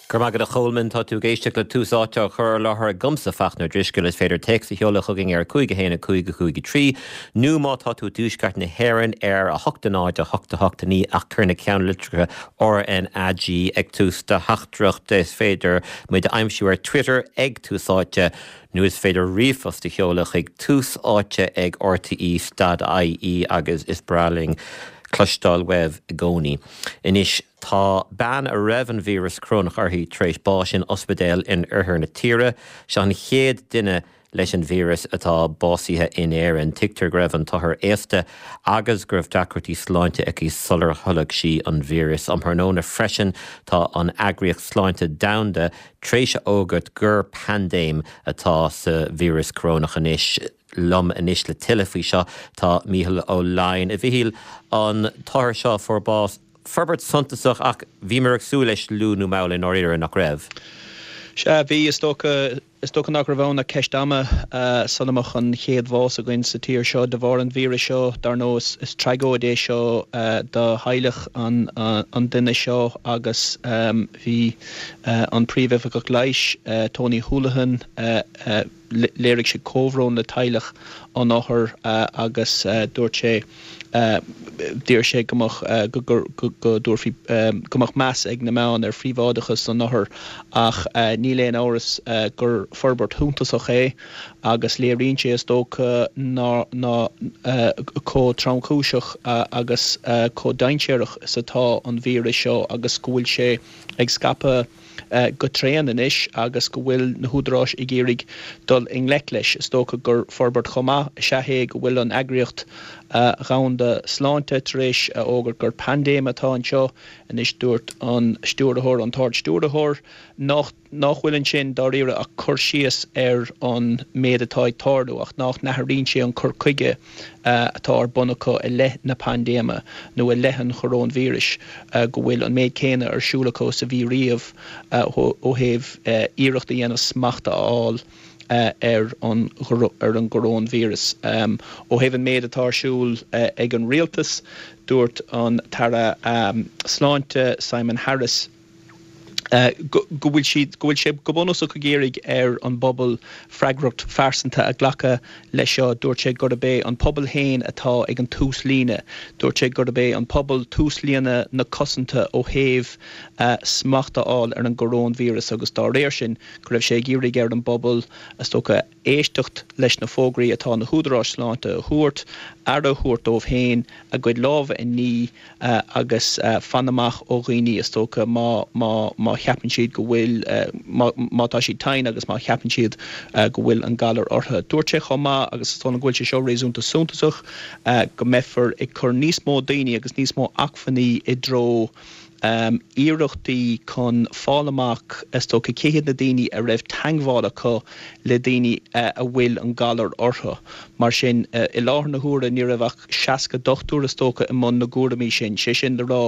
Go raibh maith agat a Cholmáin. Tá tú ag éisteacht le Tús Áite á chur i láthair agamsa, Fachtna Ó Drisceoil. Is féidir téacs a sheoladh chugainn ar 5 1 5 5 3 nó má tá tú i dtuaisceart na hÉireann ar 8 0 8 8 9 ach cuir na ceannlitreacha RnaG ag tús do theachtaireachta. Is féidir muid a aimsiú ar Twitter ag Tús Áite nó is féidir ríomhphost a sheoladh chuig tús áite ag rte dot ie agus is breá linn cloisteáil uaibh i gcónaí. Anois. Tá bean a raibh an víreas corónach uirthi tar éis báis in ospidéal in oirthear na tíre. Seo an chéad duine leis an víreas atá básaithe in Éirinn. Tuigtear go raibh an t-othar aosta agus go raibh deacrachtaí sláinte aici sular tholg sí an víreas. Um thráthnóna freisin tá an Eagraíocht Sláinte Domhanda tar éis a fhógairt gur paindéim atá sa víreas corónach anois. Liom anois le tuilleadh faoi seo tá Mícheál Ó Laighin. A Mhichíl, an t-othar seo a fuair bás, Forbairt suntasach ach bhíomar ag súil leis luath nó mall i ndáiríre, nach raibh? Sea, bhí. Is dócha, is dócha nach raibh ann ach ceist ama sula mbeadh an chéad bhás againn sa tír seo de bharr an víris seo. Dar ndóigh, is, is tragóid é seo do theaghlach an, an duine seo agus bhí an Príomhoifigeach Leighis, Tony Holohan, léirigh sé comhbhrón le teaghlach an othair agus dúirt sé, d'iarr sé go mbeadh, go dtabharfaí, go mbeadh meas ag na meáin ar phríobháideachas an othair ach níl aon amhras gur forbairt shuntasach é agus léiríonn sé is dócha ná chomh tromchúiseach agus chomh dainséarach is atá an víreas seo agus go bhfuil sé ag scaipeadh go tréan anois agus go bhfuil na húdaráis ag iarraidh dul i ngleic leis. Is dócha gur forbairt chomh maith is ea é go bhfuil an Eagraíocht Dhomhanda Sláinte tar éis a fhógairt gur paindéim atá anseo anois. Dúirt an stiúrthóir, an tArd-Stiúrthóir, nach nach bhfuil ansin dáiríre ach cur síos ar an méid atá ag tarlú ach nach n-athraíonn sé an cur chuige atá ar bun acu i leith na paindéime nó i leith an choróinvíris, go bhfuil an méid céanna ar siúl acu is a bhí riamh ó thaobh iarracht a dhéanamh smacht a fháil ar an ar an gcoróinvíreas. Ó thaobh an méid atá ar siúl ag an rialtas, dúirt an tAire Sláinte Simon Harris, go bhfuil siad, go bhfuil sé go bunúsach ag iarraidh ar an bpobal freagracht phearsanta a ghlacadh leis seo. Dúirt sé gurb é an pobal féin atá ag an tús líne. Dúirt sé gurb é an pobal túslíne na cosanta ó thaobh smacht a fháil ar an gcoróinvíreas agus dá réir sin go raibh sé ag iarraidh ar an bpobal, is dócha, éisteacht leis na fógraí atá na húdaráis sláinte a thabhairt, aire a thabhairt dóibh féin, a gcuid lámha a ní agus fan amach ó dhaoine, is dócha, má, má, má cheapann siad go bhfuil, má, má tá siad tinn agus má cheapann siad go bhfuil an galar orthu. Dúirt sé chomh maith, agus is dóigh liom go bhfuil sé seo réasúnta suntasach, go mbeifear ag cur níos mó daoine agus níos mó acmhainní i dtreo iarrachtaí chun fáil amach, is dócha, cé hiad na daoine a raibh teagmháil acu le daoine a bhfuil an galar orthu. Mar sin, i láthair na huaire ní raibh ach 60 dochtúir, is dócha, i mbun na gcúraimí sin. Sé sin le rá,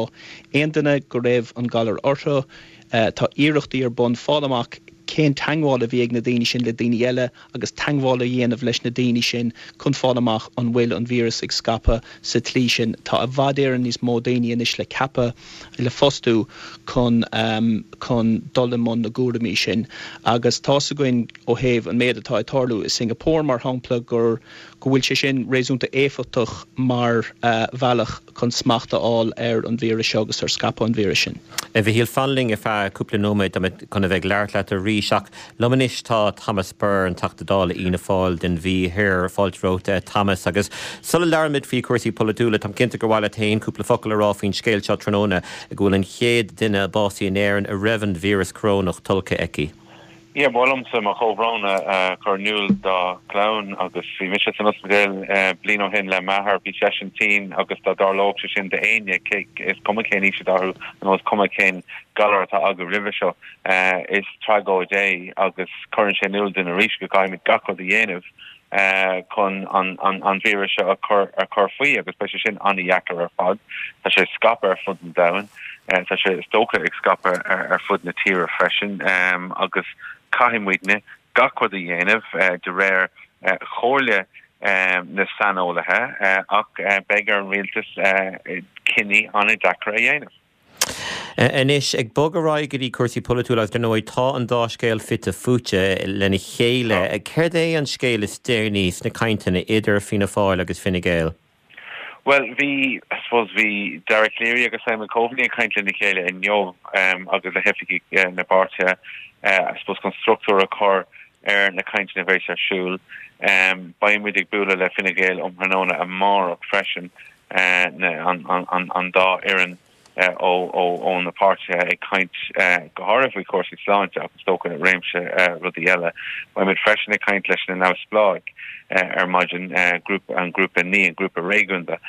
aon duine go raibh an galar orthu, tá iarrachtaí ar bun fáil amach cén teagmháil a bhí ag na daoine sin le daoine eile agus teagmháil a dhéanamh leis na daoine sin chun fáil amach an bhfuil an víreas ag scaipeadh sa tslí sin. Tá i bhfad Éireann níos mó daoine anois le ceapadh, le fostú chun chun dul i mbun na gcúraimí sin agus tá's againn ó thaobh an méid atá ag tarlú i Singapore mar shampla gur go bhfuil sé sin réasúnta éifeachtach mar bhealach chun smacht a fháil ar an víreas seo agus ar scaipeadh an víris sin. A Mhichíl, fan linn ar feadh cúpla nóiméad, tá mé chun a bheith ag labhairt leat arís ach liom anois tá Thomas Burr, an Teachta Dála Fhianna Fáil don Mhí Thoir. Fáilte romhat, a Thomas. Agus sula labhraímid faoi chúrsaí polaitiúla, táim cinnte gur mhaith leat féin cúpla focal a rá faoin scéal seo tráthnóna, go bhfuil an chéad duine básaithe in Éirinn a raibh an víreas corónach tolgtha aici. Yeah, ba mhaith liomsa mo chomhbhrón a chur in iúl dá chlann agus bhí mise san ospidéal bliain ó shin le m'athair, bhí seisean tinn agus dá dtarlódh sé sin d'éinne, is cuma cén aois atá orthu nó is cuma cén galar atá acu roimhe seo, is tragóid é agus cuireann sé in iúl dúinn arís go gcaithfimid gach rud a dhéanamh chun an víreas seo a chur a chur faoi agus beidh sé sin an-dheacair ar fad. Tá sé ag scaipeadh ar fud an domhain, tá sé is dócha ag scaipeadh ar fud na tíre freisin agus caithfidh muidne gach rud a dhéanamh de réir chomhairle na saineolaithe ach beidh ar an rialtas cinní an-deacair a dhéanamh. Anois, ag bogadh ar aghaidh go dtí cúrsaí polaitiúla agus dar ndóigh tá an dá scéal fite fuaite lena chéile, céard é an scéal is deireanaí sna cainteanna idir Fianna Fáil agus Fine Gael? Bhuel, bhí, I suppose, bhí Dara Calleary agus Simon Coveney ag caint lena chéile inniu agus le hoifigigh na bpáirtithe, I suppose, chun struchtúr a chur ar na cainteanna a bheas ar siúl. Beidh muid ag bualadh le Fine Gael um thráthnóna amárach freisin, an dá fhoireann. ó na páirtithe ag caint go háirithe faoi chúrsaí sláinte ach is dócha réimse rudaí eile. Beimid freisin ag caint leis na neamhspleáigh ar maidin, grúpa, an grúpa NI, an grúpa réigiúnda,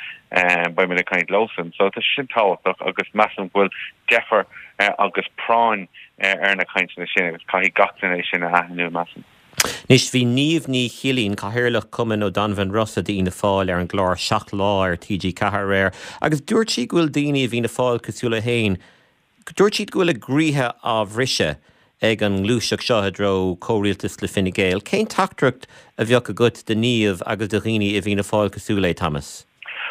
beimid ag caint leosan. So tá sé sin tábhachtach agus measaim go bhfuil deifir agus práinn ar na cainteanna sin agus caithfidh gach duine é sin a aithniú, measaim. Anois, bhí Niamh Ní Chillín, Cathaoirleach Chumann O'Donovan Rossa d'Fhianna Fáil ar an gclár Seacht Lá ar TG4 aréir agus dúirt sí go bhfuil daoine i bhFianna Fáil cosúil léi féin, dúirt siad go bhfuil a gcroíthe á bhriseadh ag an ngluaiseacht seo i dtreo comhrialtas le Fine Gael. Cén teachtaireacht a bheadh agat do Niamh agus do dhaoine i bhFianna Fáil cosúil léi, Thomas?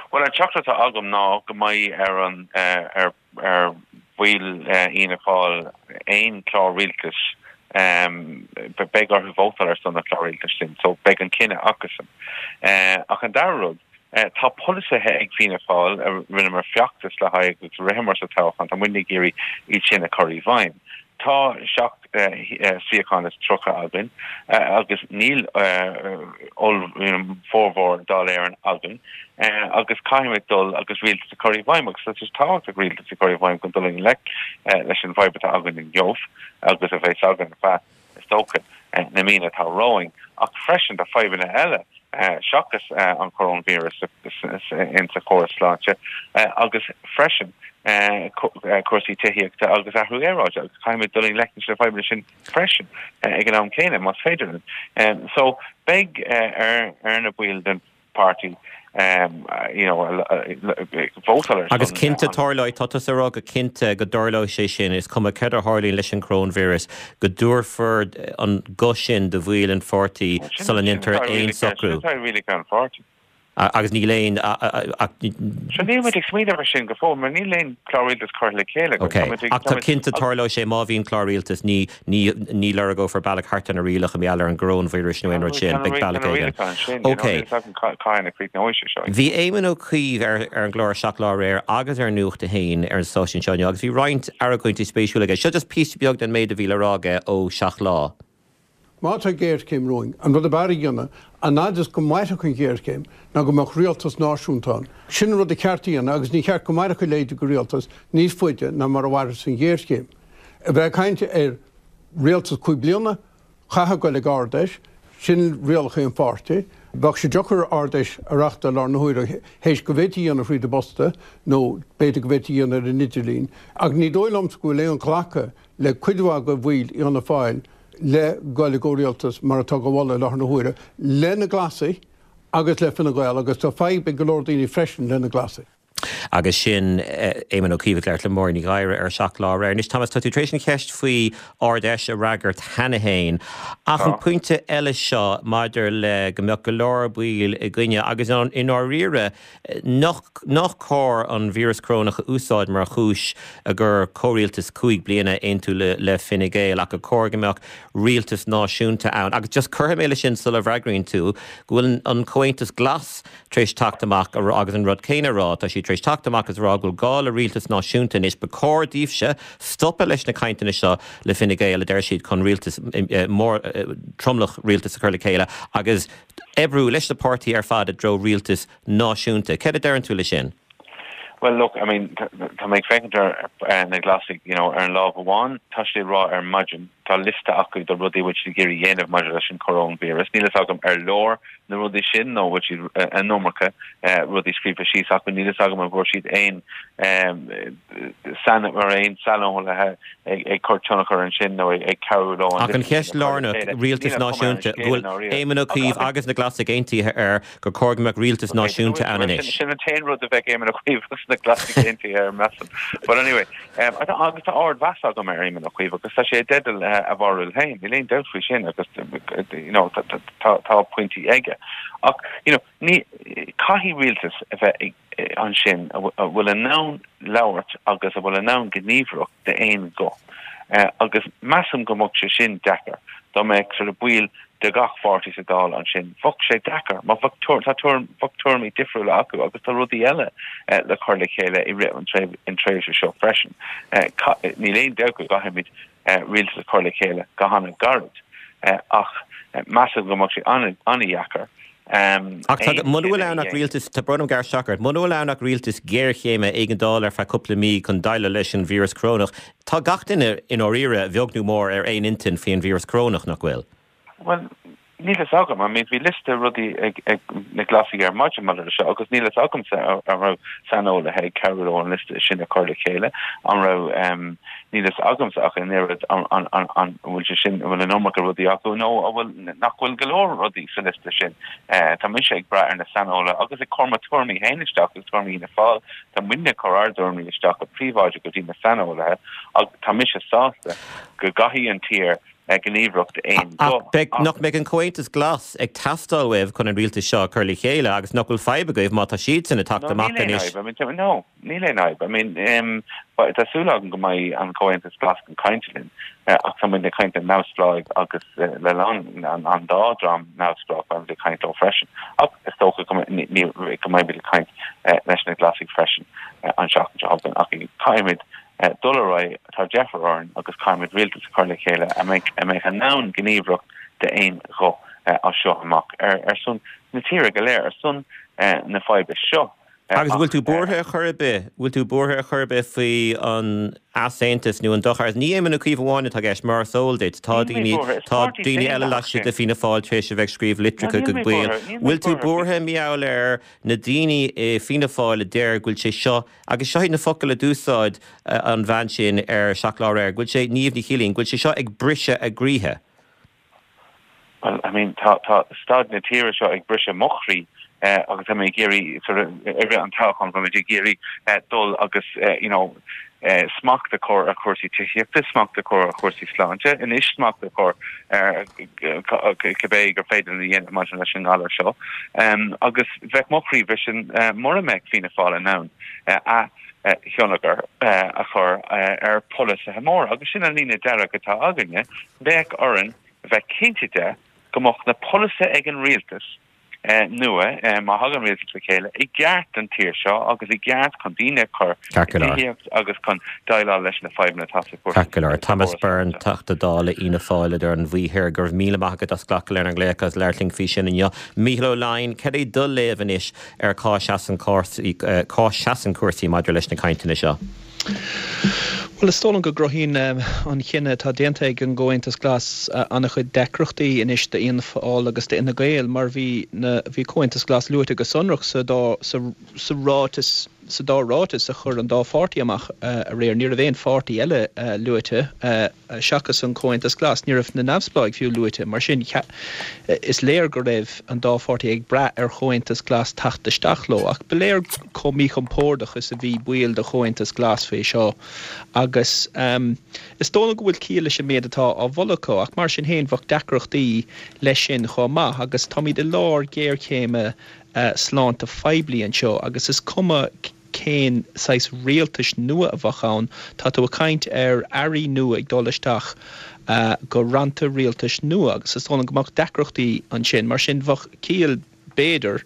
Bhuel, an teachtaireacht atá agam ná go mbeidh ar an, ar. ar bhaill Fhianna Fáil aon chlár rialtais, beidh orthu vótáil ar son an chlár rialtais sin, so beidh an cinneadh acusan. Ach an dara rud, tá polasaithe ag Fianna Fáil a rinneamar feachtas le haghaidh agus a ritheamar sa toghchán, tá muidne ag iarraidh iad sin a chur i bhfeidhm. Tá 37 suíochán againn agus níl formhór Dáil Éireann againn agus caithfimid dul agus rialtas a chur i bhfeidhm agus tá sé tábhachtach rialtas a chur i bhfeidhm chun dul i ngleic leis an bhfadhb atá againn inniu agus a bheas againn ar feadh, is dócha, na míonna atá romhainn. Ach freisin tá fadhbanna eile seachas an coróinvíreas in sa chóras sláinte agus freisin cúrsaí tithíochta agus athrú aeráide agus caithfimid dul i ngleic leis na fadhbanna sin freisin ag an am céanna, más féidir linn. So beidh ar na baill den páirtí you know vótáil ar son Agus cinnte tarlóidh, tá tusa ag rá go cinnte go dtarlóidh sé sin, is cuma céard a tharlaíonn leis an gcoróinvíreas, go dtabharfar an guth sin do bhaill an pháirtí sula ndéantar aon socrú. Sin atá i rialacha an pháirtí. Agus níl aon. Sure níl muid ag smaoineamh ar sin go fóill mar níl aon chlár rialtais curtha le chéile againn. Ok, ach tá cinnte tarlóidh sé má bhíonn clár rialtais, ní Ní, ní lorgófar bealach thart ar na rialacha mar gheall ar an gcoróinvíreas nó aon rud sin. Beidh bealach éigin. Ok. Bhí Éamon Ó Cuív ar ar an gclár 7 Lá aréir agus ar Nuacht a hAon ar an stáisiún seo inniu agus bhí roinnt argóintí spéisiúla aige. Seo just píosa beag den méid a bhí le rá aige ó 7 Lá. Má tá géarchéim romhainn, an rud ab fhearr a dhéanamh, an fhad is go mairfeadh an ghéarchéim, ná go mbeadh rialtas náisiúnta ann. Sin an rud a cheart a dhéanamh agus ní cheart go mairfeadh a leithéid de rialtas níos faide ná mar a mhairfeas an ghéarchéim. A bheith ag caint ar rialtas 5 bliana, chaithfeá goil ag Ard-Fheis, sin rialacha an pháirtí. Bheadh sé deacair Ard-Fheis a reachtáil i láthair na huaire théis go bhféadfaí a dhéanamh thríd an bposta nó b'fhéidir go bhféadfaí a dhéanamh ar an idirlíon. Ach ní dóigh liomsa go bhfuil aon ghlacadh le cuid mhaith de bhaill Fhianna Fáil le goil i gcomhrialtas mar atá á mholadh i láthair na huaire le na Glasaigh agus le Fine Gael agus tá fadhb ag go leor daoine freisin le na Glasaigh. Agus sin Éamon Ó Cuív ag labhairt le Máirín Ní Ghadhra ar 7 Lá aréir. Anois, Thomas, tá tú tar éis an cheist faoi Ard-Fheis a fhreagairt cheana féin, ach an pointe eile seo maidir le go mbeadh go leor baill i gcoinne agus i ndáiríre nach nach cóir an víreas corónach a úsáid mar chúis gur comhrialtas 5 bliana a aontú le Fine Gael ach gur cóir go mbeadh rialtas náisiúnta ann. Agus just cuirfidh mé leis sin sula bhfreagraíonn tú go bhfuil an Comhaontas Glas tar éis teacht amach agus an rud céanna a rá. Tá siad tar éis teacht amach agus a rá go bhfuil gá le rialtas náisiúnta anois. Ba chóir daoibhse stopadh leis na cainteanna seo le Fine Gael, a deir siad, chun rialtas mór, tromlach rialtais a chur le chéile agus oibriú leis na páirtithe ar fad i dtreo rialtas náisiúnta. Céard a deireann tú le sin? Well look, I mean, tá mé ag féachaint ar na Glasaigh, you know, ar an lámh amháin, tá siad ag rá ar maidin, tá liosta acu de rudaí a bhfuil siad ag iarraidh a dhéanamh maidir leis an choróinvíreas. Níl a fhios agam ar leor na rudaí sin nó bhfuil siad an iomarca rudaí scríofa síos acu. Níl a fhios agam an bhfuair siad aon mar aon saineolaithe ag cur tionchar ansin nó ag cabhrú leo an Ach an cheist lárnach, rialtas náisiúnta, go bhfuil Éamon Ó Cuív agus na Glasaigh aontaithe air gur cóir go mbeadh rialtas náisiúnta ann anois. Sin an t-aon rud a bheadh Éamon Ó Cuív agus na Glasaigh aontaithe air, measaim. But anyway, agus tá ardmheas agam ar Éamon Ó Cuív agus tá sé i dteideal a bharúil féin, níl aon dabht faoi sin agus you know tá pointí aige. Ach you know ní, caithfidh rialtas a bheith ansin a bhfuil in ann. labhairt agus a bhfuil in ann gníomhaireacht d'aon ghuth. Agus measaim go mbeadh sé sin deacair dá mbeadh sort of baill de gach pháirtí sa Dáil ansin. Bheadh sé deacair mar bheadh tá tuairim, bheadh tuairimí difriúla acu agus tá rudaí eile le cur le chéile i rith an tréimhse seo freisin. Níl aon dabht go gcaithfimid rialtas a chur le chéile go han-ghairid ach measaim go mbeadh sé an-dheacair. Ach tá, muna bhfuil ann ach rialtas, tá brón orm gearradh isteach ort, muna bhfuil ann ach rialtas géarchéime éigeandála ar feadh cúpla mí chun déileáil leis an víreas corónach, tá gach duine i ndáiríre, a bheag nó mór, ar aon intinn faoi an víreas corónach, nach bhfuil? Bhuel, níl fhios agam. I mean, bhí liosta rudaí ag na Glasaigh ar maidin maidir leis seo agus níl fhios agamsa an raibh saineolaithe ag cabhrú leo an liosta sin a chur le chéile, an raibh, níl fhios agamsa ach an oiread an bhfuil sé sin, an bhfuil an iomarca rudaí acu nó an bhfuil, nach bhfuil go leor rudaí sa liosta sin. Tá mise ag brath ar na saineolaithe agus ag cur mo tuairimí féin isteach agus tuairimí Fhianna Fáil. Tá muidne ag cur ár dtuairimí isteach go príobháideach go dtí na saineolaithe ach tá mise sásta go gcaithfidh an tír gníomhaireacht d'aon ghuth. Ach nach mbeidh an Comhaontas Glas ag teastáil uaibh chun an rialtas seo a chur le chéile agus nach bhfuil fadhb agaibh má tá siadsan ag teacht amach anois? No, níl aon fhadhb. No, níl aon fhadhb. I mean, tá súil agam go mbeidh an Comhaontas Glas chun cainte linn ach tá muid ag caint le neamhspleáigh agus le an dá dream neamhspleách beimid ag caint leo freisin. Ach is dócha go mbeimid ag caint leis na Glasaigh freisin an seachtain seo chugainn ach caithfimid dul ar aghaidh, tá deifir orainn agus caithfimid rialtas a chur le chéile a mbeidh a mbeidh in ann gníomhaireacht d'aon ghuth as seo amach ar son na tíre go léir, ar son na faidhbe seo. Agus an bhfuil tú buartha ar chor ar bith, bhfuil tú buartha ar chor ar bith faoi an easaontas nó an dochar? Ní Éamon Ó Cuív amháin atá i gceist, mar is eol duit, tá daoine, tá daoine eile laistigh de Fianna Fáil tar éis a bheith ag scríobh litreacha go baill. Bhfuil tú buartha mar gheall ar na daoine i Fianna Fáil a deir go bhfuil sé seo Agus seo iad na focail a d'úsáid an bhean sin ar Seacht Lá Aréir, go bhfuil sé, Niamh Ní Chillín, go bhfuil sé seo ag briseadh a gcroíthe. Well, I mean, tá, tá staid na tíre seo ag briseadh mo chroí agus tá mé ag iarraidh, sort of, i rith an toghcháin, tá muid ag iarraidh dul agus, you know, smacht a chur ar chúrsaí tithíochta, smacht a chur ar chúrsaí sláinte, anois smacht a chur ar cibé gur féidir linn a dhéanamh maidir leis an ngalar seo. Agus bheadh mo chroí briste mura mbeadh Fianna Fáil in ann a thionchar a chur ar pholasaithe móra. Agus sin an líne dearg atá againne, bheadh orainn bheith cinnte de go mbeadh na polasaithe ag an rialtas nua, má thagann rialtas le chéile, i gceart don tír seo agus i gceart chun daoine a chur i dtithíocht agus chun déileáil leis na fadhbanna atá sa chúrsa. Ceart go leor. Thomas Byrne, Teachta Dála Fhianna Fáil idir an Mhí Thoir, go raibh míle maith agat as glacadh lenár nglaoch agus labhairt linn faoi sin inniu. Mícheál Ó Leidhin, cad é do léamh anois ar cá seasann cá seasann cúrsaí maidir leis na cainteanna seo? Bhuel, is dóigh liom go gcruthaíonn an chinneadh atá déanta ag an gComhaontas Glas an-chuid deacrachtaí anois d'Fhianna Fáil agus d'Fhine Gael mar bhí na, bhí Comhaontas Glas luaite go sonrach sa dá, sa, sa ráiteas, sa dá ráiteas a chuir an dá pháirtí amach aréir. Ní raibh aon pháirtí eile luaite. seachas an Comhaontas Glas. Ní raibh na neamhspleáigh fiú luaite. Mar sin, is léir go raibh an dá pháirtí ag brath ar Chomhaontas Glas teacht isteach leo. Ach ba léir chomh míchompordach is a bhí baill de Chomhaontas Glas faoi seo. Agus is dóigh liom go bhfuil ciall leis an méid atá á mholadh acu. Ach mar sin féin, bheadh deacrachtaí leis sin chomh maith. Agus táimid i lár géarchéime sláinte phoiblí anseo agus is cuma cén saghas rialtais nua a bheadh ann, tá tú ag caint ar airí nua ag dul isteach go rannta rialtais nua agus is dóigh liom go mbeadh deacrachtaí ansin. Mar sin, bheadh ciall, b'fhéidir,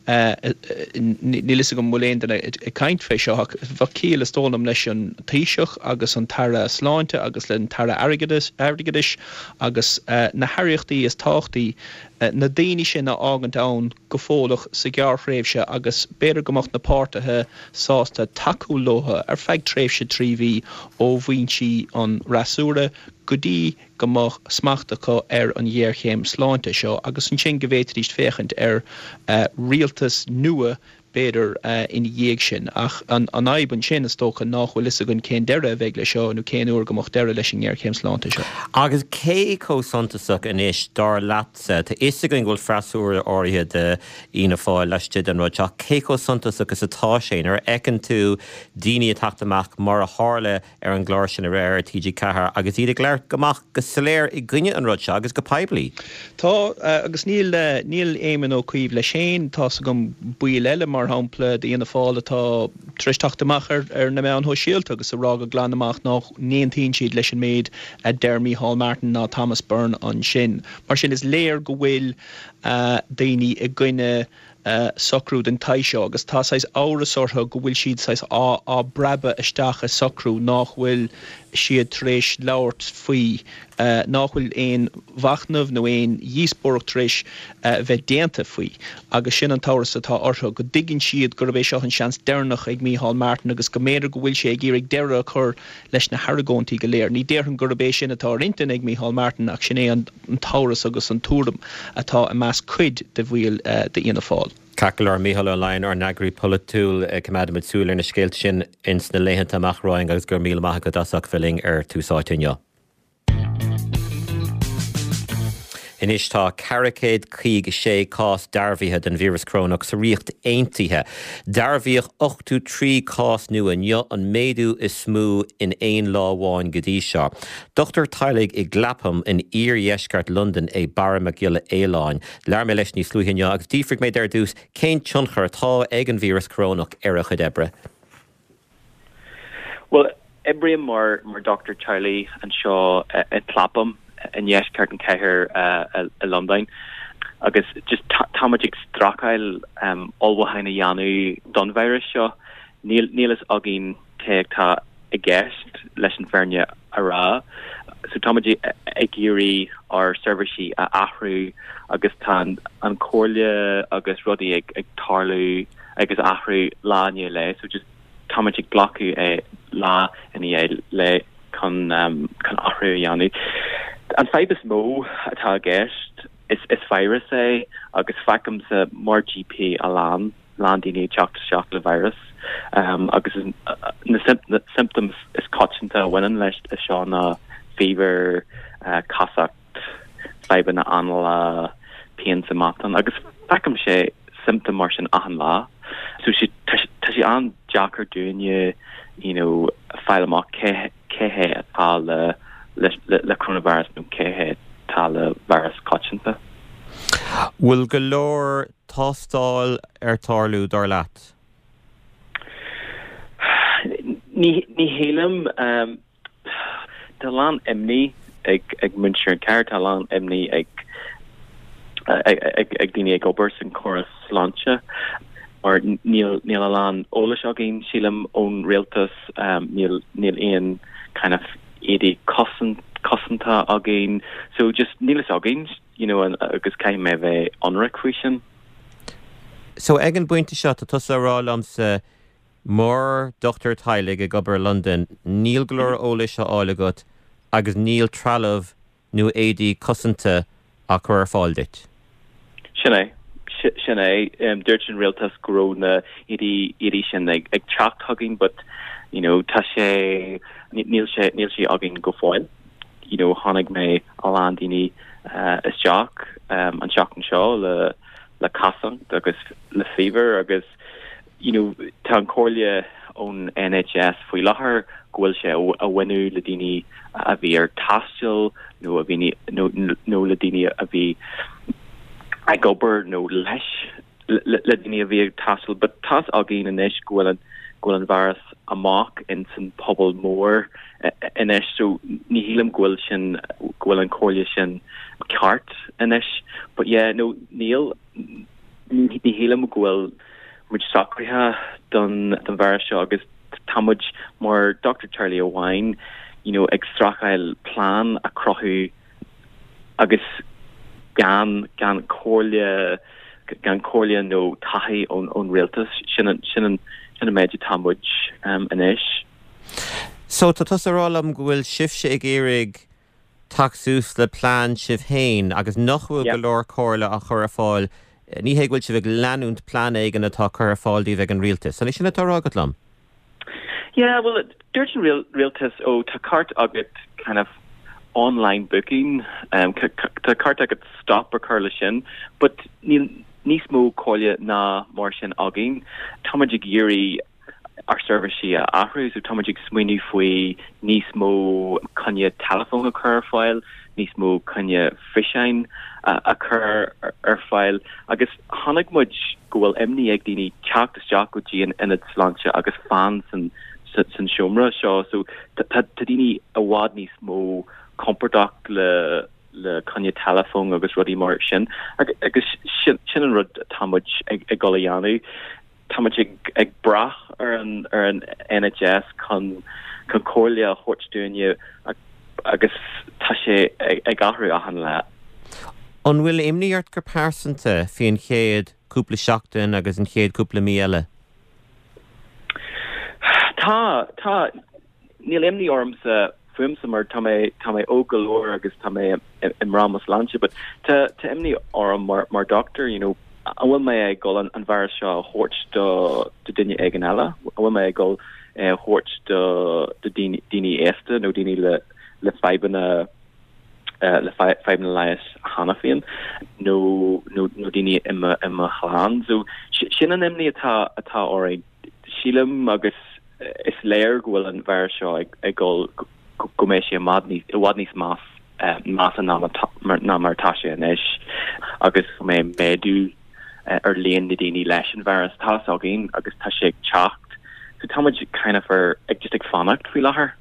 níl fhios agam an bhfuil aon duine ag caint fé seo, ach bheadh ciall, is dóigh liom, leis an Taoiseach agus an tAire Sláinte agus le an tAire Airgeadais agus na haireachtaí is tábhachtaí, na daoine sin a fhágaint ann go fóilleach sa ghearrthréimhse agus b'fhéidir go mbeadh na páirtithe sásta tacú leo ar feadh tréimhse 3 mhí ó bhinsí an fhreasúra go dtí go mbeadh smacht acu ar an ghéarchéim sláinte seo agus ansin go bhféadfaidís féachaint ar rialtas nua b'fhéidir, ina dhiaidh sin. Ach an fhadhb ansin, is dócha, nách bhfuil fhios againn cén deireadh a bheidh le seo nó cén uair go mbeadh deireadh leis an ngéarchéim sláinte seo. Agus cé chomh suntasach anois, dar leatsa, tá fhios againn go bhfuil freasúra áirithe de Fhianna Fáil laistigh den rud seo, ach cé chomh suntasach is atá sé nuair a fheiceann tú daoine ag teacht amach mar a tharla ar an gclár sin aréir ar TG4 agus iad ag labhairt go amach go soiléir i gcoinne an rud seo agus go poiblí. Tá, agus níl, níl Éamon Ó Cuív leis féin, tá's agam baill eile mar. mar shampla, d'Fhianna Fáil atá tar éis teacht amach ar na meáin shóisialta agus a rá go glan amach nach n-aontaíonn siad leis an méid a deir Micheál Martin ná Thomas Byrne ansin. Mar sin, is léir go bhfuil daoine i gcoinne socrú den tsaghas seo agus tá saghas amhras orthu go bhfuil siad saghas á á bpreabadh isteach i socrú nách bhfuil siad tar éis labhairt faoi, nách bhfuil aon mhachnamh nó aon dhíospóireacht tar éis bheith déanta faoi agus sin an t-amhras atá orthu, go dtuigeann siad gurb é seo an seans deireanach ag Micheál Martin agus go mb'fhéidir go bhfuil sé ag iarraidh deireadh a chur leis na hargóintí go léir. Ní déarfainn gurb é sin atá ar intinn ag Micheál Martin ach sin é an. an t-amhras agus an tuairim atá i measc cuid de bhaill d'Fhianna Fáil. Ceart go leor, Mícheál Ó Laighin, ár n-eagraí polaitiúil, coimeádfaimid súil ar na scéalta sin ins na laethanta amach romhainn agus go raibh míle maith agat as ucht bheith linn ar Tús Áite inniu. Anois tá 456 cás dearbhaithe den víreas corónach sa Ríocht Aontaithe. Dearbhaíodh 83 cás nua inniu, an méadú is mó in aon lá amháin go dtí seo. Dochtúir teaghlaigh i gClapham in iardheisceart Londan é Barra Mac Giolla Fhaoláin. Labhair mé leis níos luaithe inniu agus d'fhiafraigh mé de ar dtús cén tionchar atá ag an víreas corónach ar a chuid oibre. Bhuel, oibrím mar mar dochtúir teaghlaigh anseo i gClapham i ndeisceart an chathair i Londain agus just tá muid ag streachailt ullmhúcháin a dhéanamh don víreas seo. Níl níl fhios againn cé atá i gceist leis an fírinne a rá. So tá muid ag iarraidh ár seirbhísí a athrú agus tá an comhairle agus rudaí ag ag tarlú agus athrú lá i ndiaidh lae. So just tá muid ag glacadh é lá i ndiaidh lae chun chun athrú a dhéanamh. An fadhb is mó atá i gceist is is virus é agus feicimse mar GP a lán lán daoine ag teacht isteach le virus agus na symptoms is coitianta a bhaineann leis seo ná fever, casacht, fadhbanna anála, pian sa matán agus feicimse symptom mar sin achan lá. So sé tá sé an-deacair dúinne you know fáil amach cé cé hé atá le le le coronavirus nó cé hé atá le virus coitianta. Bhfuil go leor tástáil ar tarlú, dar leat? Ní shílim. Tá a lán imní ag muintir an chathair, tá a lán imní ag ag daoine ag obair san córas sláinte mar níl níl a lán eolais againn, sílim, ón rialtas, níl níl aon kind of éadaí cosanta againn so just níl fhios againn. you know, agus caithfidh mé a bheith ionraic faoi sin. So ag an bpointe seo, tá tusa ag rá liomsa, mar dochtúir teaghlaigh ag obair i Londain, níl go leor eolais á fháil agat agus níl trealamh nó éadaí cosanta á cur ar fáil duit. Sin é. Sin é. Dúirt an rialtas go raibh na éadaí éadaí sin ag ag teacht chugainn but, you know, tá sé, níl sé, níl sé againn go fóill. you know chonaic mé a lán daoine isteach an tseachtain seo le le casacht agus le fever agus you know tá an comhairle ón NHS faoi láthair go bhfuil sé a bhaineann le daoine a bhí ar taisteal nó a bhí nó nó le daoine a bhí ag obair nó leis le daoine a bhí ag taisteal but tá's againn anois go bhfuil an go bhfuil an virus amach in san pobal mór anois so ní shílim go bhfuil sin go bhfuil an comhairle sin ceart anois but yeah no níl ní shílim go bhfuil muid socraithe don don virus seo agus tá muid mar dochtúir teaghlaigh amháin you know ag streachailt plean a cruthú agus gan gan comhairle gan comhairle nó taithí ón ón rialtas. Sin an sin an sin an méid atá muid anois. So tá tusa ag rá liom go bhfuil sibhse ag iarraidh teacht suas le plean sibh féin agus nach bhfuil go leor comhairle á chur ar fáil, ní hé go bhfuil sibh ag leanúint plean éigin atá curtha ar fáil daoibh ag an rialtas. An é sin atá á rá agat liom? Yeah, well, dúirt an rialtas, ó, tá ceart agat kind of online booking, um, tá ceart agat stop a chur le sin, but níl níos mó comhairle ná mar sin againn. Tá muid ag iarraidh. ár seirbhísí a athrú. So tá muid ag smaoineamh faoi níos mó coinne teileafóin a chur ar fáil, níos mó coinne físeáin a chur ar fáil agus chonaic muid go bhfuil imní ag daoine teacht isteach go dtí an ionad sláinte agus fan san san seomra seo. So tá daoine i bhfad níos mó compordach le le coinne teileafóin agus rudaí mar sin agus sin an rud atá muid ag dul a dhéanamh. Tá muid ag brath ar an ar an NHS chun chun comhairle a thabhairt dúinne agus tá sé ag athrú achan lá. An bhfuil imní ort go pearsanta faoin chéad cúpla seachtain agus an chéad cúpla mí eile? Tá, tá. Níl imní ormsa fúmsa mar tá mé tá mé óg go leor agus tá mé i mbrath mo sláinte but tá tá imní orm mar mar doctor you know an bhfuil mé ag dul an an virus seo a thabhairt do do duine éigin eile? An bhfuil mé ag dul é a thabhairt do do daoine daoine aosta nó daoine le le fadhbanna le fadhbanna leighis cheana féin nó nó nó daoine i mo i mo chlann. So sin an imní atá atá orainn. Sílim agus is léir go bhfuil an virus seo ag dul go mbeidh sé i bhfad níos measa ná mar atá sé anois agus go mbeidh méadú ar líon na daoine leis an virus. Tá fhios againn agus tá sé ag teacht. So tá muid kind of ar ag just ag fanacht faoi láthair.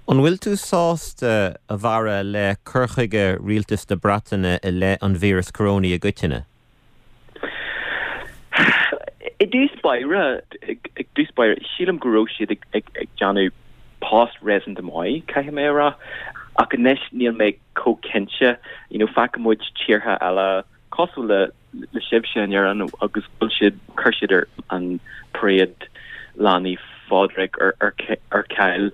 An bhfuil tú sásta, a Bharra, le cur chuige Rialtas na Breataine i leith an víreas corónaigh i gcoitinne? I dtús báire, i dtús báire, sílim go raibh siad ag déanamh post réasúnta maith, caithfidh mé a rá. Ach anois níl mé chomh cinnte. You know, feiceann muid tíortha eile cosúil le le sibhse in Éirinn agus bhfuil siad, chuir siad ar an paráid Lá Naomh Phádraig ar ar ar ceal.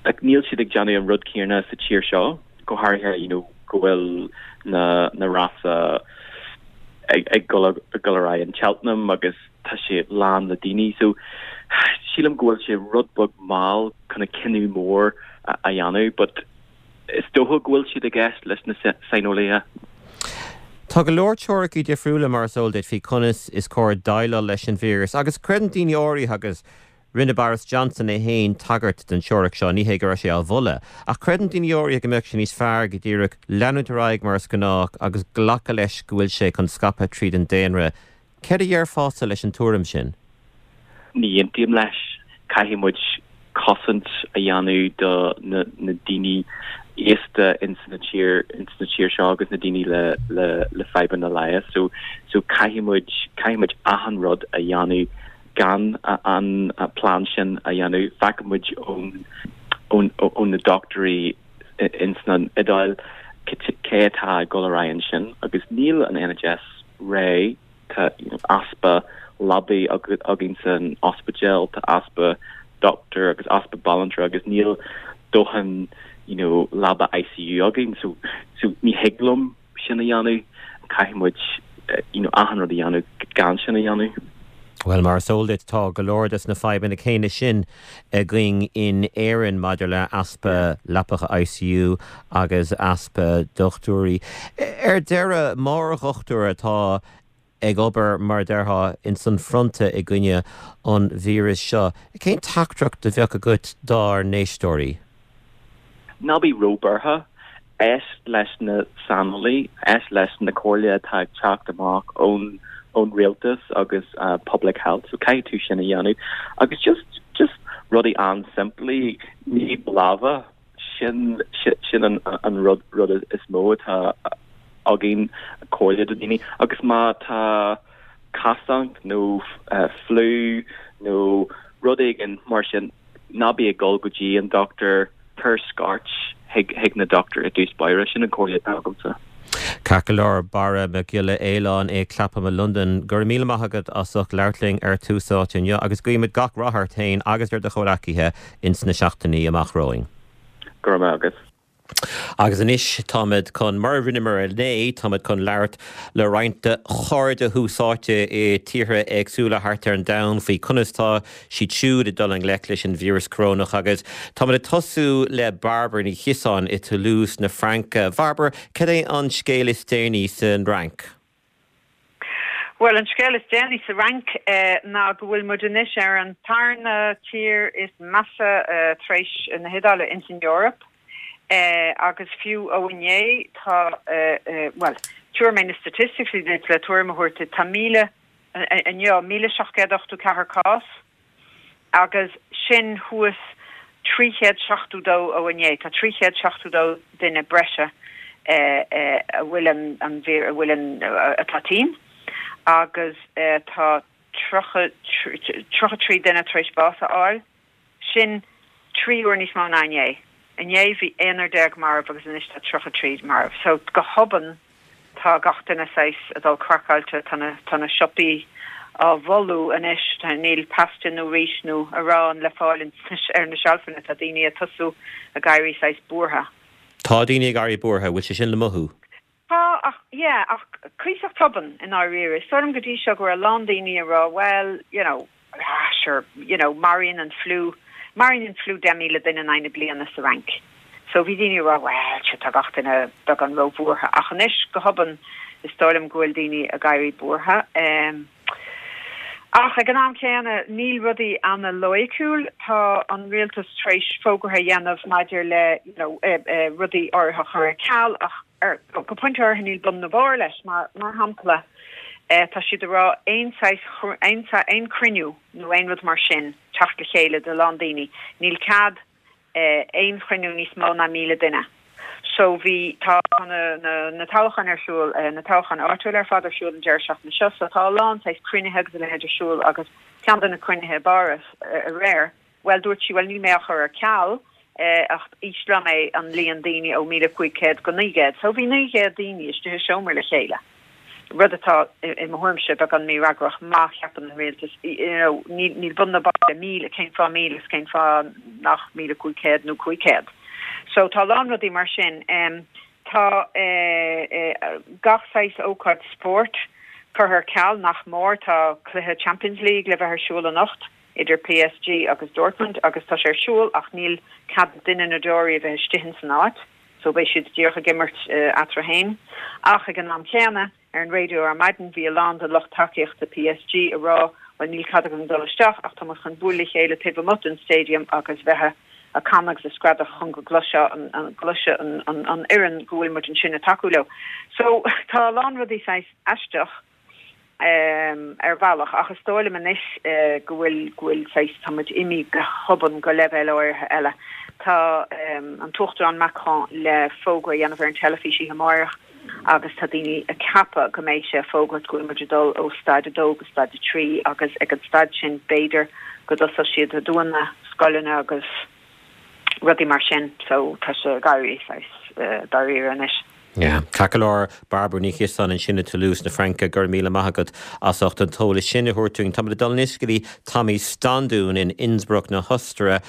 Like, níl siad ag déanamh an rud céanna sa tír seo. go háirithe you know go bhfuil na na rása ag ag dul ag dul ar aghaidh in Cheltenham agus tá sé lán le daoine so sílim go bhfuil sé rud beag mall chun a cinneadh mór a a dhéanamh but is dócha go bhfuil siad ag éist leis na saineolaithe. Tá go leor teoiricí difriúla mar is eol duit faoi conas is cóir déileáil leis an víreas agus creideann daoine áirithe agus Rinne Boris Johnson é féin tagairt don teoiric seo, ní hé go raibh sé á mholadh, ach creideann daoine áirithe go mbeadh sé níos fearr go díreach leanúint ar aghaidh mar is gnách agus glacadh leis go bhfuil sé chun scaipeadh tríd an daonra. Céard a dhéarfása leis an tuairim sin? Ní aontaím leis. Caithfidh muid cosaint a dhéanamh do na daoine aosta ins na tír ins na tír seo agus na daoine le le le fadhbanna leighis. So so caithfidh muid caithfidh muid achan rud a dhéanamh gan an plean sin a dhéanamh. Feiceann muid ón ó na dochtúirí ins an Iodáil cé atá ag dul ar aghaidh ansin agus níl an NHS réidh, tá easpa leabaí againn san ospidéal, tá easpa doctor agus easpa banaltra agus níl dóthain you know leaba ICU againn so so ní thig liom sin a dhéanamh, caithfidh muid you know achan rud a dhéanamh gan sin a dhéanamh. Bhuel, mar is eol duit, tá go leor des na fadhbanna céanna sin againn in Éirinn maidir le easpa leapacha ICU agus easpa dochtúirí. Ar deireadh, mar dhochtúir atá ag obair, mar a déarfá, ins an fronta i gcoinne an víris seo, cén teachtaireacht a bheadh agat dár n-éisteoirí? Ná bí róbhuartha. Éist leis na saineolaí, éist leis na comhairle atá ag teacht amach ón ón rialtas agus public health, so caithfidh tú sin a dhéanamh. Agus just just rudaí an-simplí, nigh do lámha, sin sin an an rud rud is mó atá againn comhairle do daoine. Agus má tá casacht nó fliú nó rud éigin mar sin, ná bí ag dul go dtí an dochtúir, cuir scairt chuig na dochtúir i dtús báire, sin an comhairle atá agamsa. Ceart go leor, Barra Mac Giolla Fhaoláin i Clapham i Londain, go raibh míle maith agat as ucht labhairt linn ar Tús Áite inniu agus guímid gach rath ort féin agus ar do chomhleacaithe ins na seachtainí amach romhainn. Go raibh maith agat. Agus anois táimid chun, mar a rinneamar inné, táimid chun labhairt le roinnt de chairde Thús Áite i tíortha éagsúla thart ar an domhan faoi conas tá siad siúd ag dul i ngleic leis an víreas corónach. Agus táimid ag tosú le Bairbre Ní Chiosáin i Toulouse na Fraince. Bhairbre, cad é an scéal is déanaí san Fhrainc? Bhuel, an scéal is déanaí sa Fhrainc ná go bhfuil muid anois ar an tarna tír is measa tar éis na hIodáile ins an Eoraip agus fiú ó inné tá, bhuel, tabharfaidh mé na statistics duit le tuairim a thabhairt duit, tá 1,000, inniu, 1,784 cás. agus sin thuas 372 ó inné. Tá 372 duine breise a bhfuil an, a bhfuil an, atá tinn agus tá 33 duine tar éis bás a fháil. Sin 3 uair níos mó ná inné. Inné bhí aonar déag marbh agus anois tá 33 marbh. So go hobann Tá gach duine saghas ag dul craiceáilte, tá na, tá na siopaí á bhfolú anois, tá, níl pasta nó rís nó arán le fáil ar na seilfeanna, tá daoine ag tosú ag éirí saghas buartha. Tá daoine ag éirí buartha, bhfuil sé sin le mothú? Tá, ach, yeah, ach cuíosach tobann i ndáiríre. Is dóigh liom go dtí seo go raibh a lán daoine ag rá well, you know, Ah, sure, you know, maraíonn an fliú, maraíonn an fliú 10,000 duine in aghaidh na bliana sa Fhrainc. So bhí daoine ag rá, well, sure, tá gach duine beagán róbhuartha. Ach anois, go hobann, is dóigh liom go bhfuil daoine ag éirí buartha. Ach ag an am céanna, níl rudaí ana-loighiciúil. Tá an rialtas tar éis fógartha a dhéanamh maidir le, you know, rudaí áirithe a chur ar ceal ach ar, go pointe áirithe níl bun ná barr leis. Mar, mar shampla, Tá siad ag rá aon saghas, aon, aon chruinniú nó aon rud mar sin, teacht le chéile de lán daoine, níl cead aon chruinniú níos mó ná 1,000 duine. So bhí, tá na, na, na toghcháin ar siúl, na toghcháin áitiúil ar fad ar siúl an deireadh seachtaine seo, so tá a lán saghas cruinnithe agus a leithéid ar siúl agus ceann de na cruinnithe i bPáras aréir, Bhuel, dúirt sí, bhuel, níl mé á chur ar ceal, ach ísleoidh mé an líon daoine ó 1,500 go 900. So bhí 900 daoine istigh i seomra le chéile, rud atá, i mo thuairimse, beagán mífhreagrach má cheapann an rialtas, you know, níl, níl bun ná barr le 1,000, cén fáth 1,000 is cén fáth nach 1,500 nó 500? So tá a lán rudaí mar sin. Tá gach saghas ócáid spóirt curtha ar ceal, nach mór. Tá cluiche Champions League le bheith ar siúl anocht. idir PSG agus Dortmund agus tá sé ar siúl ach níl cead ag duine nó deoraí a bheith istigh ins an áit so beidh siad díreach ag imirt eatarthu féin. Ach ag an am céanna, ar an raidió ar maidin bhí a lán de lucht tacaíochta PSG ag rá bhuel níl cead againn dul isteach ach tá muid chun bualadh le chéile taobh amuigh den stadium agus bheith ag canadh agus ag screadach chun go gcloisfeadh an gcloisfeadh an an fhoireann go bhfuil muid ansin ag tacú leo. So tá a lán rudaí saghas aisteach. ar bhealach, ach is dóigh liom anois go bhfuil, go bhfuil saghas, tá muid imithe go hobann go leibhéal áirithe eile. Tá an tUachtarán Macron le fógra a dhéanamh ar an teilifís oíche amáireach agus tá daoine ag ceapadh go mbeidh sé ag fógairt go bhfuil muid ag dul ó staid 2 go staid 3 agus ag an staid sin b'fhéidir go dtosóidh siad ag dúnadh scoileanna agus rudaí mar sin so tá sé ag éirí saghas dáiríre anois. Yeah. Ceart go leor, Bairbre Ní Chiosáin ansin i Toulouse na Fraince, go raibh míle maith agat as ucht an t-eolas sin a thabhairt dúinn. Táimid ag dul anois go dtí Tommy Standún in Innsbruck na hOstaire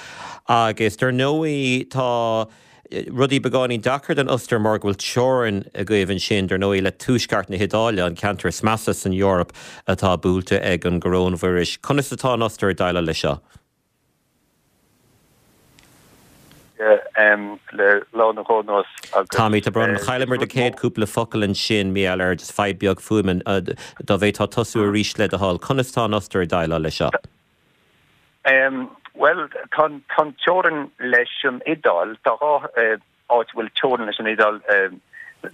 agus dar ndóigh tá rudaí beagáinín deacair don Ostair mar go bhfuil teorainn agaibh ansin dar ndóigh le tuaisceart na hIodáile, an ceantar is measa san Eoraip atá buailte ag an gcoróinvíreas. Conas atá an Ostair ag déileáil leis seo? le lá nó dhó anuas agus. Tommy, tá brón orm, chailleamar do chéad cúpla focal ansin, mar gheall ar just fadhb beag fuaime, dá bhféadfá tosú arís le do thoil. Conas tá an Ostair ag déileáil leis seo? Bhuel, tá an teorainn leis an Iodáil, tá dhá áit a bhfuil teorainn leis an Iodáil,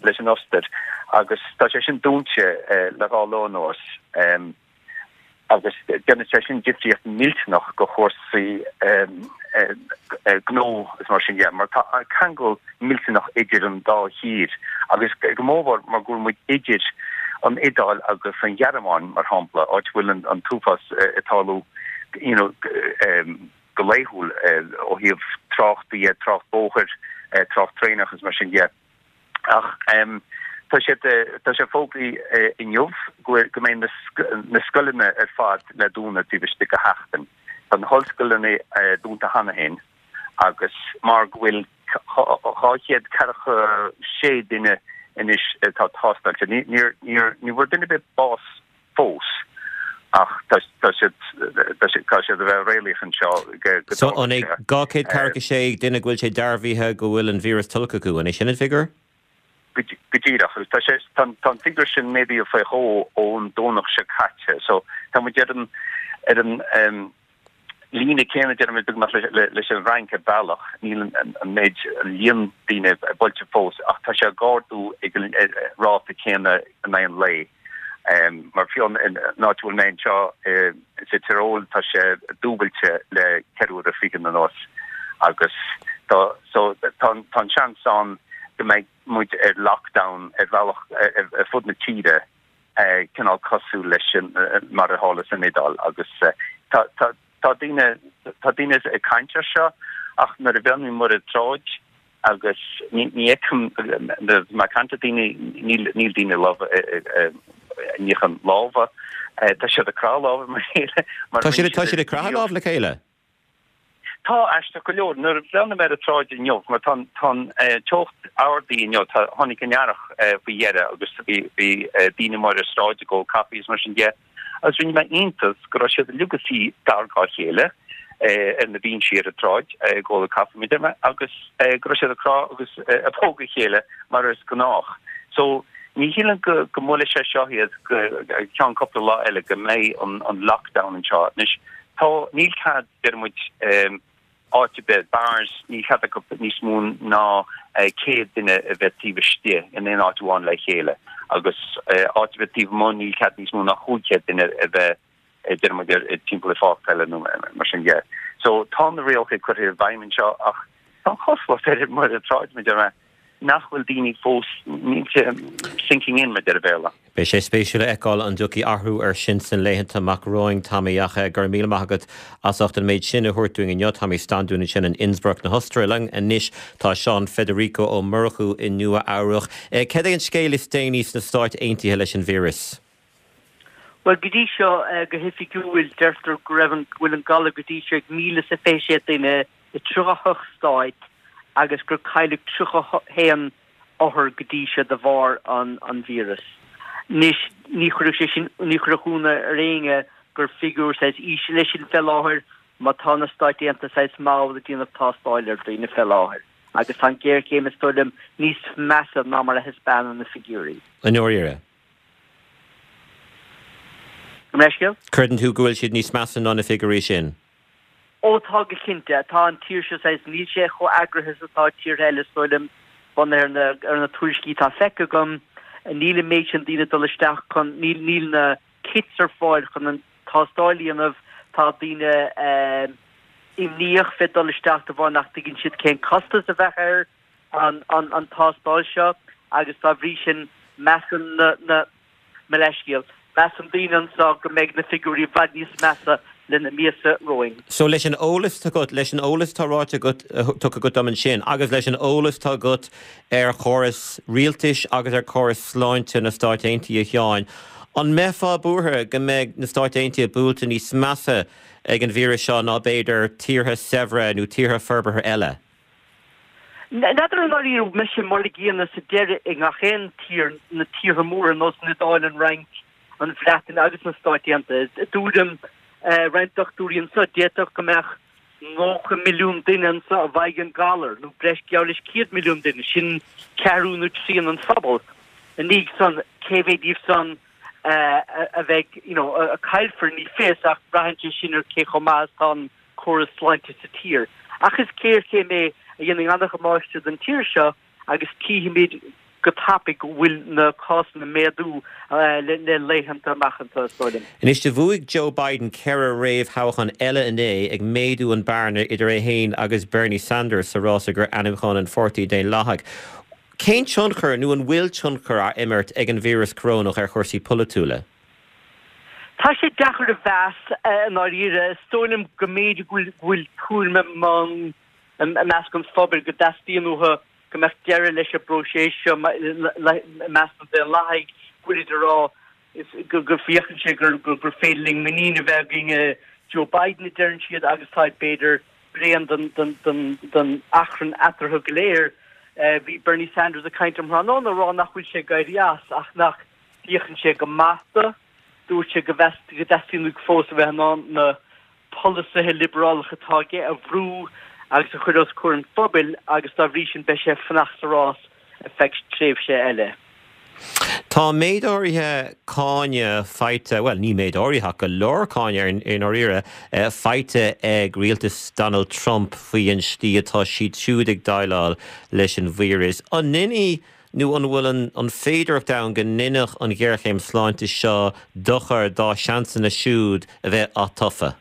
leis an Ostair, agus tá sé sin dúnta le dhá lá anuas. agus déanann sé sin difríocht millteanach go chúrsaí gnó is mar sin de, mar tá ceangal millteanach idir an dá thír agus go mórmhór mar go bhfuil muid idir an Iodáil agus an Ghearmáin, mar shampla, áit a bhfuil an t-uafás ag tarlú you know go laethúil ó thaobh trácht de, trácht bóthair, trácht traenach is mar sin de. Ach tá sé tá sé fógraithe inniu go go mbeidh na scoileanna ar fad le dúnadh taobh istigh de sheachtain. Tá na hollscoileanna dúnta cheana féin agus mar go bhfuil 246 duine anois atá tástáilte, ní níor níor ní bhfuair duine ar bith bás fós ach tá tá siad tá siad tá siad a bheith réalaíoch anseo go go So an é 246 duine go bhfuil sé dearbhaithe go bhfuil an víreas tolgtha acu, an é sin an figiúr? Go díreach. Agus tá sé, tá an figiúr sin méadaithe faoi dhó ón Domhnach seo caite. So tá muid ar an, ar an líne céanna, déarfaidh mé, beagnach leis an bhFrainc ar bhealach. Níl an méid, an líon daoine buailte fós ach tá sé ag ardú ag an ráta céanna in aghaidh an lae. Mar fiú an áit a bhfuil mé anseo sa Tyrol tá sé dúbailte le 24 uaire anuas agus tá so tá an seans ann go mbeidh muid ar lockdown ar bhealach ar fud na tíre cineál cosúil leis mar a tharla san Iodáil agus tá tá tá daoine tá daoine ag caint ar seo ach nuair a bhreathnaím ar an tsráid Agus ní fheicim, nuair atá mé ag caint le daoine, níl daoine ag níochán lámha. Tá siad ag croitheadh lámha le chéile. Tá siad ag croitheadh lámh le chéile? Tá, aisteach go leor. Nuair a bhreathnaigh mé ar an tsráid inniu, mar tá an teocht ardaithe inniu, tháinig an earrach faoi dheireadh agus bhí daoine amuigh ar an sráid ag ól caife agus mar sin de. Agus rinne mé iontas go raibh siad uilig ag suí gar dá chéile ar na binsí ar an tsráid ag ól caife mar a deir mé agus go raibh siad ag crá agus ag pógadh a chéile mar is gnách. So ní shílim go go mbuailfidh sé seo iad go ceann cúpla lá eile go mbeidh an an lockdown anseo. Anois tá níl cead deir muid áit ar bith, bars, níl cead acu níos mó ná 100 duine a bheith taobh istigh in aon áit amháin le chéile agus áit ar bith taobh amuigh níl cead níos mó ná 500 duine a bheith deir muid timpeall i pháirc peile nó mar sin de. So tá na rialacha curtha i bhfeidhm anseo ach tá an chosúlacht air ar an tsráid mar a deir mé nach bhfuil daoine fós, níl sé sinking in mar a deir an Béarla. Beidh sé spéisiúil a fheiceáil an dtiocfaidh athrú ar sin sna laethanta amach romhainn, Tommy, ach go raibh míle maith agat as ucht an méid sin a thabhairt dúinn inniu. Tommy Standún ansin in Innsbruck na hOstaire. Linn anois tá Seán Federico Ó Murchú i Nua Eabhrach. Cad é an scéal is déanaí sna Stáit Aontaithe leis an víreas? Bhuel, go dtí seo, go hoifigiúil, deirtear go raibh an, go bhfuil an galar go dtí seo ag 1,026 duine i 38 stáit agus gur cailleadh 31 othar go dtí seo de bharr an víreas. Anois, ní chuirfeadh sé sin, ní chuirfeadh ionadh ar éinne gur figiúr saghas íseal é sin fé láthair má tá na Stáit Aontaithe saghas mall ag déanamh tástáil ar dhaoine fé láthair agus tá an ghéarchéim is dóigh liom níos measa ná mar a thaispeánann na figiúirí. I ndáiríre. Gabh mo leithscéal? Creideann tú go bhfuil siad níos measa ná na figiúirí sin? Ó tá go cinnte. Tá an tír seo saghas, níl sé chomh eagraithe is atá tíortha eile is dóigh liom, bunaithe ar na, ar na tuairiscí atá feicthe agam. Níl an méid sin daoine ag dul isteach chun, níl, níl na kits ar fáil chun an tástáil a dhéanamh. Tá daoine imníoch fé dul isteach de bharr nach dtuigeann siad cén costas a bheadh ar an, an, an tástáil seo agus dá bhrí sin measann na, na, Mo leithscéal. Measann daoine anseo go mbeidh na figiúirí i bhfad níos measa le na míosa romhainn. So leis an eolas atá agat, leis an eolas atá ráite agat, tugtha agat dom ansin, agus leis an eolas atá agat ar chóras rialtais agus ar chóras sláinte na Stáit Aontaithe, a Sheáin, an mbeifeá buartha go mbeidh na Stáit Aontaithe buailte níos measa ag an víreas seo ná b'fhéidir tíortha saibhre nó tíortha forbartha eile? N'fheadar i ndáiríre an mbeidh sé mar a gcéanna sa deireadh i ngach aon tír, na tíortha móra ar nós an Iodáil, an Fhrainc, an Bhreatain agus na Stáit Aontaithe. I dtuairim roinnt dochtúirí anseo, d'fhéadfadh go mbeadh 90 milliún duine anseo a bhfaighidh an galar, nó breis geall leis 100 milliún duine, sin ceathrú nó trian an phobail. Ina dhiaidh san, cé mhéad díobh san a bheidh, you know, a caillfear, ní fios, ach braitheann sé sin ar cé chomh maith is atá an córas sláinte sa tír. Ach is géarchéim é a dhéanfaidh an-dhamáiste don tír seo agus tchífimid go tapaidh go bhfuil na cásanna ag méadú le laethanta amach anseo, is dóigh liom. Anois, do bhuaigh Joe Biden 4 réamhthoghchán eile inné, ag méadú an bearna idir é féin agus Bernie Sanders sa rás i gcomhair ainmniúchán an Pháirtí Daonlathaigh. Cén tionchar, nó an bhfuil tionchar á imirt ag an víreas corónach ar chúrsaí polaitiúla? Tá sé deacair a mheas i ndáiríre. Is dóigh liom go mb'fhéidir go bhfuil tuairim ann i measc an phobail go dteastaíonn uathu go mbeadh deireadh leis an bpróiseas seo i measc na Daonlathaigh, go bhfuilid ag rá go bhféachann sé gur féidir linn muinín a bheith againn i Joe Biden, a deireann siad, agus táid b'fhéidir bréan den achrann eatarthu go léir. Bhí Bernie Sanders ag caint um thráthnóna ag rá nach bhfuil sé ag éirí as ach nach bhféachann sé go maith dó. Dúirt sé go dteastaíonn uaidh fós a bheith in ann na polasaithe liobrálacha atá aige a bhrú agus a chur os comhair an phobail agus dá bhrí sin beidh sé ag fanacht sa rás. Ar feadh tréimhse eile. Tá méid áirithe cáineadh faighte, bhuel, ní méid áirithe ach go leor cáineadh i ndáiríre, faighte ag rialtas Donald Trump faoi an slí atá siad siúd ag déileáil leis an víreas. An ndéanfaidh nó an bhfuil an féidearthacht ann go ndéanfadh an ghéarchéim sláinte seo dochar dá seansanna siúd a bheith atofa?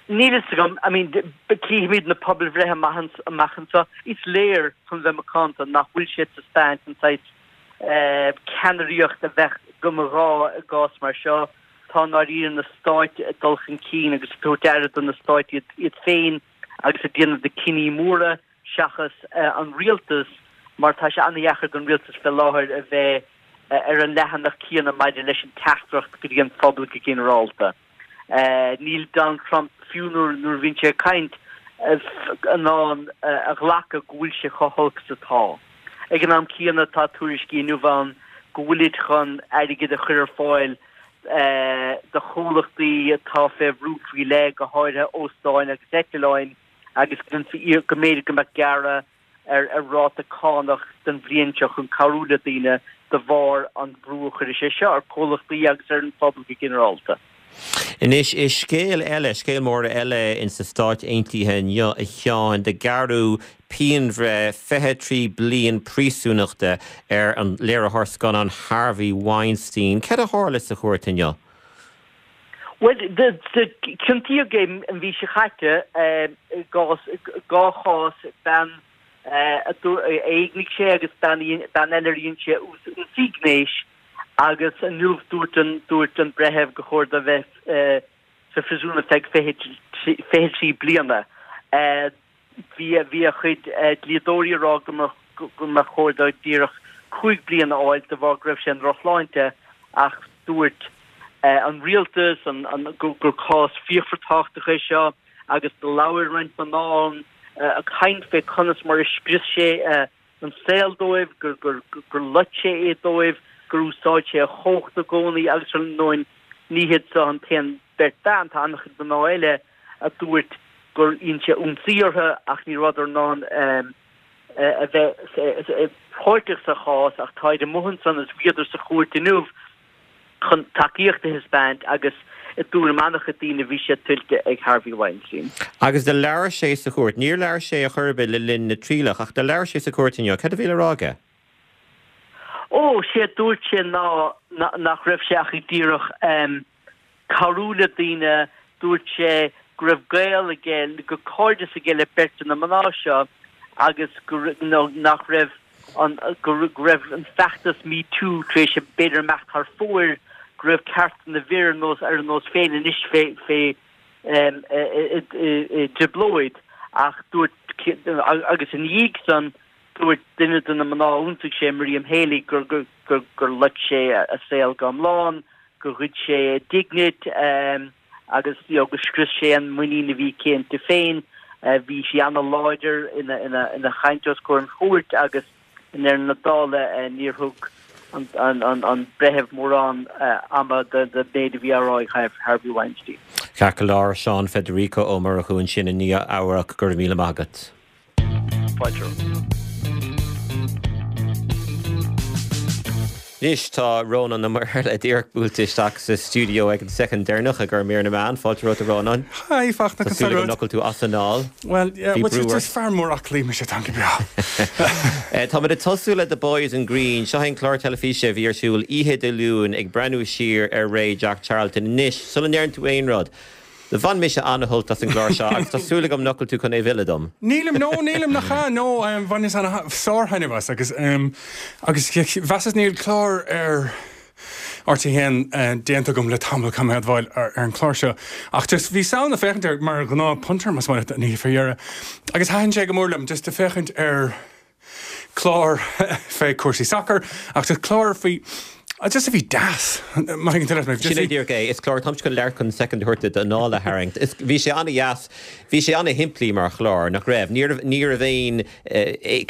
Níl fhios agam. I mean, cífimid na pobalbhreithe amach anseo. Is léir, chun bheith macánta, nach bhfuil sé ag taispeáint an saghas ceannaireacht a bheadh go mba ghá i gcás mar seo. Tá i ndáiríre na stáit ag dul chun cinn agus ag tabhairt aire do na stáit iad féin agus ag déanamh na cinní móra seachas an rialtas mar tá sé an-dheacair don rialtas fé láthair a bheith ar an leathanach céanna maidir leis an teachtaireacht go dtí an phobal go ginearálta. Níl Donald Trump, fiú nuair a bhíonn sé ag caint, in ann a ghlacadh go bhfuil sé chomh holc is atá. Ag an am céanna, tá tuairiscí inniu ann go bhfuilid chun airgead a chur ar fáil do chomhlachtaí atá fé bhrú faoi leith, go háirithe óstáin agus eitleáin, agus go mb'fhéidir go mbeadh gearradh ar ráta cánach don bhliain seo chun cabhrú le daoine de bharr an bhrú a chuirfidh sé seo ar chomhlachtaí agus ar an phobal go ginearálta. Anois, is scéal eile, scéal mór eile in sna Stáit Aontaithe inniu, a Sheáin, do gearradh pianbhreith 23 bliain príosúnachta ar an léiritheoir scannán Harvey Weinstein. Céard a tharla sa chúirt inniu? Bhuel, ciontaíodh é an mhí seo caite i gcás, dhá chás, bean a éignigh sé agus bean eile ar dhein sé ionsaí gnéis agus inniu dúirt an dúirt an breitheamh gur chóir dó bheith sa phríosún ar feadh 23 bliana. Bhí bhí a chuid dlíodóirí ag rá go mba go mba chóir dó díreach 5 bliana a fháil de bharr go raibh sé i ndrochshláinte ach dúirt an rialtas an an gur cás fíochmhar tábhachtach é seo agus do labhair roinnt mná ann ag caint fé conas mar a scrios sé an saol dóibh, gur gur gur loit sé é dóibh, gur úsáid sé a chumhacht i gcónaí agus ar ndóigh ní hiad seo an t-aon bheirt bhean, tá an-chuid mná eile a dúirt gur dhein sé ionsaí orthu ach ní rabhadar in ann a bheith páirteach sa chás ach táid amuigh ansan is bhíodar sa chúirt inniu chun tacaíocht a thaispeáint agus i dtuairim an-chuid daoine bhí sé tuillte ag Harvey Weinstein. Agus do labhair sé sa chúirt. Níor labhair sé ar chor ar bith le linn na trialach ach do labhair sé sa chúirt inniu. Cad a bhí le rá aige? Ó, sé a dúirt sé ná nach raibh sé ach ag díreach cabhrú le daoine. Dúirt sé go raibh gaol aige, go cairdeas aige le beirt de na mná seo agus go nach raibh an go raibh an feachtas Me Too tar éis b'fhéidir imeacht thar fóir, go raibh cearta na bhfir ar nós ar a nós féin anois fé fé i dtrioblóid ach dúirt agus ina dhiaidh san dúirt duine de na mná a ionsaigh sé, Miriam Haley, gur gur gur loit sé a saol go hiomlán, gur ghoid sé a dínit agus you know gur scrios sé an muinín a bhí aici inti féin. Bhí sí ana-láidir ina ina ina chaint os comhair an chúirt agus i ndeireadh na dála níor thug an an an breitheamh mórán ama don méid a bhí á rá ag Harvey Weinstein. Ceart go leor, Seán Federico Ó Murchú ansin i Nua Eabhrac, go raibh míle maith agat. Fáilte romhat. Anois tá Rónán Ó Muirthile díreach buailte isteach sa stiúideo ag an soicind deireanach i gcomhair mír na meán. Fáilte romhat a Rónáin. Hi, Fachtna, Tá súil agam nach bhfuil tú as anáil. Bhuel, yeah, Bhí brú ort. Is fear mór aclaí mise, táim go breá. Táimid ag tosú le The Boys in Green. Seo é an clár teilifíse a bhí ar siúl oíche Dé Luain ag breathnú siar ar ré Jack Charlton. Anois, sula ndeireann tú aon rud, Bhain mise an-shult as an gclár seo agus tá súil agam nach bhfuil tú chun é a mhilleadh dom. Nílim, no, nílim, nach ea, no, bhaineas an-sár-thaitneamh as agus, agus mheasas níl clár ar RTÉ 1 déanta agam le tamall, caithfidh mé admháil, ar an chlár seo ach just bhíos ag féachaint air mar ghnáth punter más maith leat an oíche fé dheireadh agus thaitin sé go mór liom just ag féachaint ar clár fé cúrsaí sacair ach just clár faoi. Just a bhí deas, má thuigeann tú leat mé. Sin é díreach é. Is clár, táimse chun labhairt chun soicind a thabhairt duit d'anáil a tharraingt. Is, bhí sé an-dheas, bhí sé an-shimplí mar chlár, nach raibh? Ní raibh, ní raibh aon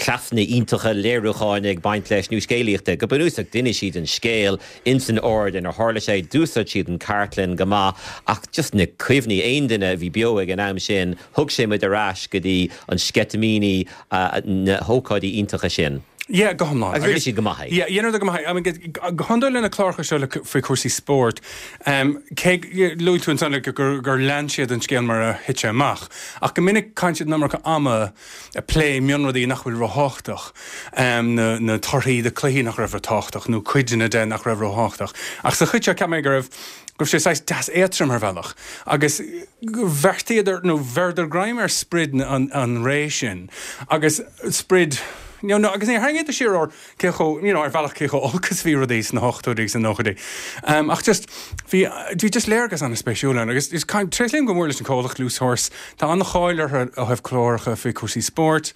cleasanna iontacha léiriúcháin ag baint leis nó scéalaíochta. Go bunúsach, d'inis siad an scéal ins an ord inar tharla sé, d'úsáid siad an chartlann go maith ach just na cuimhní, aon duine a bhí beo ag an am sin, thug sé muid ar ais go dtí an sceitimíní, na hócáidí iontacha sin. Yeah, go hiomlán. Agus rinne siad go maith é. Yeah, dheineadar go maith é. I mean, go hiondúil le na cláracha seo le faoi chúrsaí spóirt, cé, luaigh tú ansan like gur, gur lean siad an scéal mar a thit sé amach, ach go minic caitheann siad an iomarca ama ag plé mionrudaí nach bhfuil róthábhachtach, na, na torthaí de cluichí nach raibh róthábhachtach nó cuideanna de nach raibh róthábhachtach. Ach sa chuid seo cheap mé go raibh, go raibh sé saghas deas éadtrom ar bhealach agus bheartaíodar nó bheireadar greim ar sprid an, an ré sin agus sprid, You know, agus níor tharraingíodar siar ar cé chomh, you know, ar bhealach cé chomh olc is a bhí rudaí sna hochtóidí agus sna nóchaidí. Um, ach just, bhí, bhí just léargas an-spéisiúil ann agus is tréaslaím go mór leis an comhlacht Loose Horse. Tá an-cháil orthu ó thaobh cláracha faoi chúrsaí spóirt.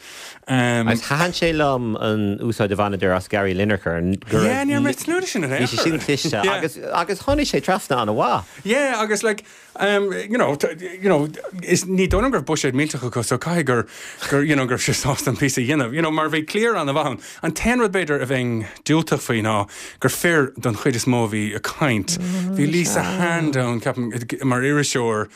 Um, Agus thaitin sé liom an úsáid a bhaineadar as Gary Lineker. Go Yeah, ní raibh mé ag tnúth leis sin in aon Bhí sé sin cliste Yeah. agus, agus tháinig sé trasna an-mhaith. Yeah, agus like, You know, you know, is ní dóigh liom go raibh buiséad millteach acu so caithfidh gur, gur, you know, go raibh siad sásta an píosa a dhéanamh, you know, mar bhí cliar an-mhaith ann. An t-aon rud b'fhéidir a bheinn diúltach faoi ná gur fir don chuid is mó a bhí ag caint. Bhí Lisa Hand ann, ceapaim, mar iriseoir,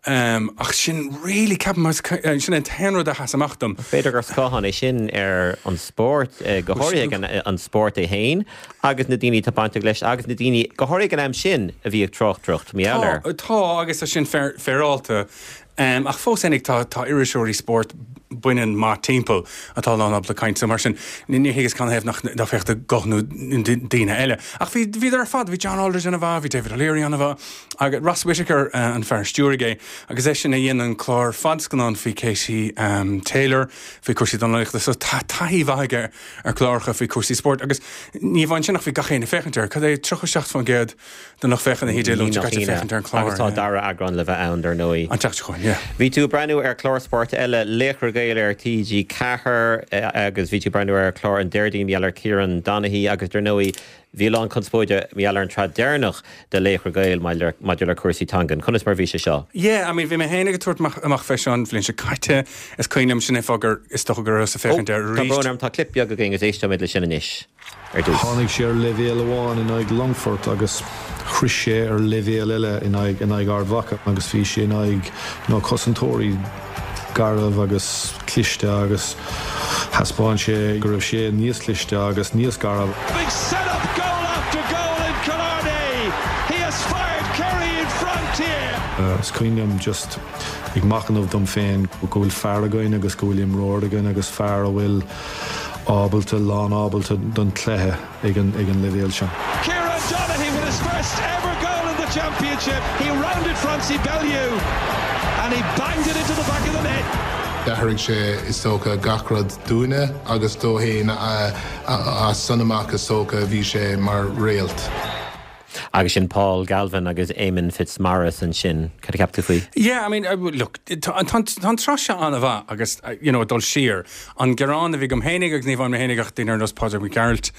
ach sin really, ceapaim, sin an t-aon rud a sheas amach dom. B'fhéidir gur scáthán é sin ar an spórt, go háirithe an spórt é féin. Agus na daoine atá bainteach leis, agus na daoine, go háirithe ag an am sin, a bhí ag tráchtaireacht mar gheall air. Tá, tá, agus tá sin féaráilte. Ach fós fhéinig, tá, tá iriseoirí spóirt baineann maith timpeall atá lán ábalta caint, so mar sin, ní thuigeas canathaobh nach, nach bhféadfadh guth nó daoine eile. Ach bhí, bhíodar ar fad, bhí John Aldridge ana-mhaith, bhí David O'Leary ana-mhaith, agus Ross Whitaker an fear a stiúraigh é, agus eisean a dhein an clár fadscannán faoi Katie Taylor, faoi cúrsaí dornálaíochta, so tá taithí mhaith aige ar chláracha faoi chúrsaí spóirt agus ní amháin sin ach bhí gach éinne ag féachaint air. Cad é 37% den lucht féachana oíche Dé Luain seo caite ag féachaint ar an chlár. Agus tá dara eagrán le bheith ann, dar ndóigh. An tseachtain seo chugainn, yeah. Bhí tú ag breathnú ar chlár spóirt eile, Laochra Gael ar TG4 agus bhí tú ag breathnú ar chlár an Déardaoin mar gheall ar Kieran Donaghy agus dar ndóigh Bhí a lán conspóide mar gheall ar an tsraith deireanach de Laochra Gael maidir le cúrsaí teangan. Conas mar a bhí sé seo? Yeah, I mean, bhí mé féin ag tabhairt amach fé seo an bhliain seo caite. Is cuimhin liom, sin é fáth gur, is dócha go rabhas ag féachaint air arís. Tá brón orm, tá clip beag againn agus éisteoimid leis sin anois ar dtús. Tháinig sé ar leibhéal amháin in aghaidh Longfort agus shroich sé ar leibhéal eile in aghaidh in aghaidh Ard Mhacha agus bhí sé in aghaidh you know cosantóirí garbh agus cliste agus thaispeáin sé go raibh sé níos cliste agus níos gairbhe. Being set up goal after goal in Killarney. He has fired Kerry in front here. Is cuimhin liom just ag machnamh dom féin go bhfuil fear againn agus go bhfuil imreoir againn agus fear a bhfuil ábalta, lán-ábalta don chluiche. ag an ag an leibhéal seo. Kieran Donaghy with his first ever goal in the championship. He rounded Francie Bellew and he banged it into the back of the net. D'athraigh sé, is dócha, gach rud dúinne agus dó fhéin as san amach is dócha bhí sé mar réalt. Agus sin Paul Galvin agus Éamonn Fitzmaurice ansin. Cad a cheap tú faoi? Yeah, I mean, look, tá an tsraith seo an-mhaith agus, you know, ag dul siar, an gearán a bhí agam fhéinig agus ní amháin mé fhéinig ach daoine ar nós Pádraig Mac Gearailt,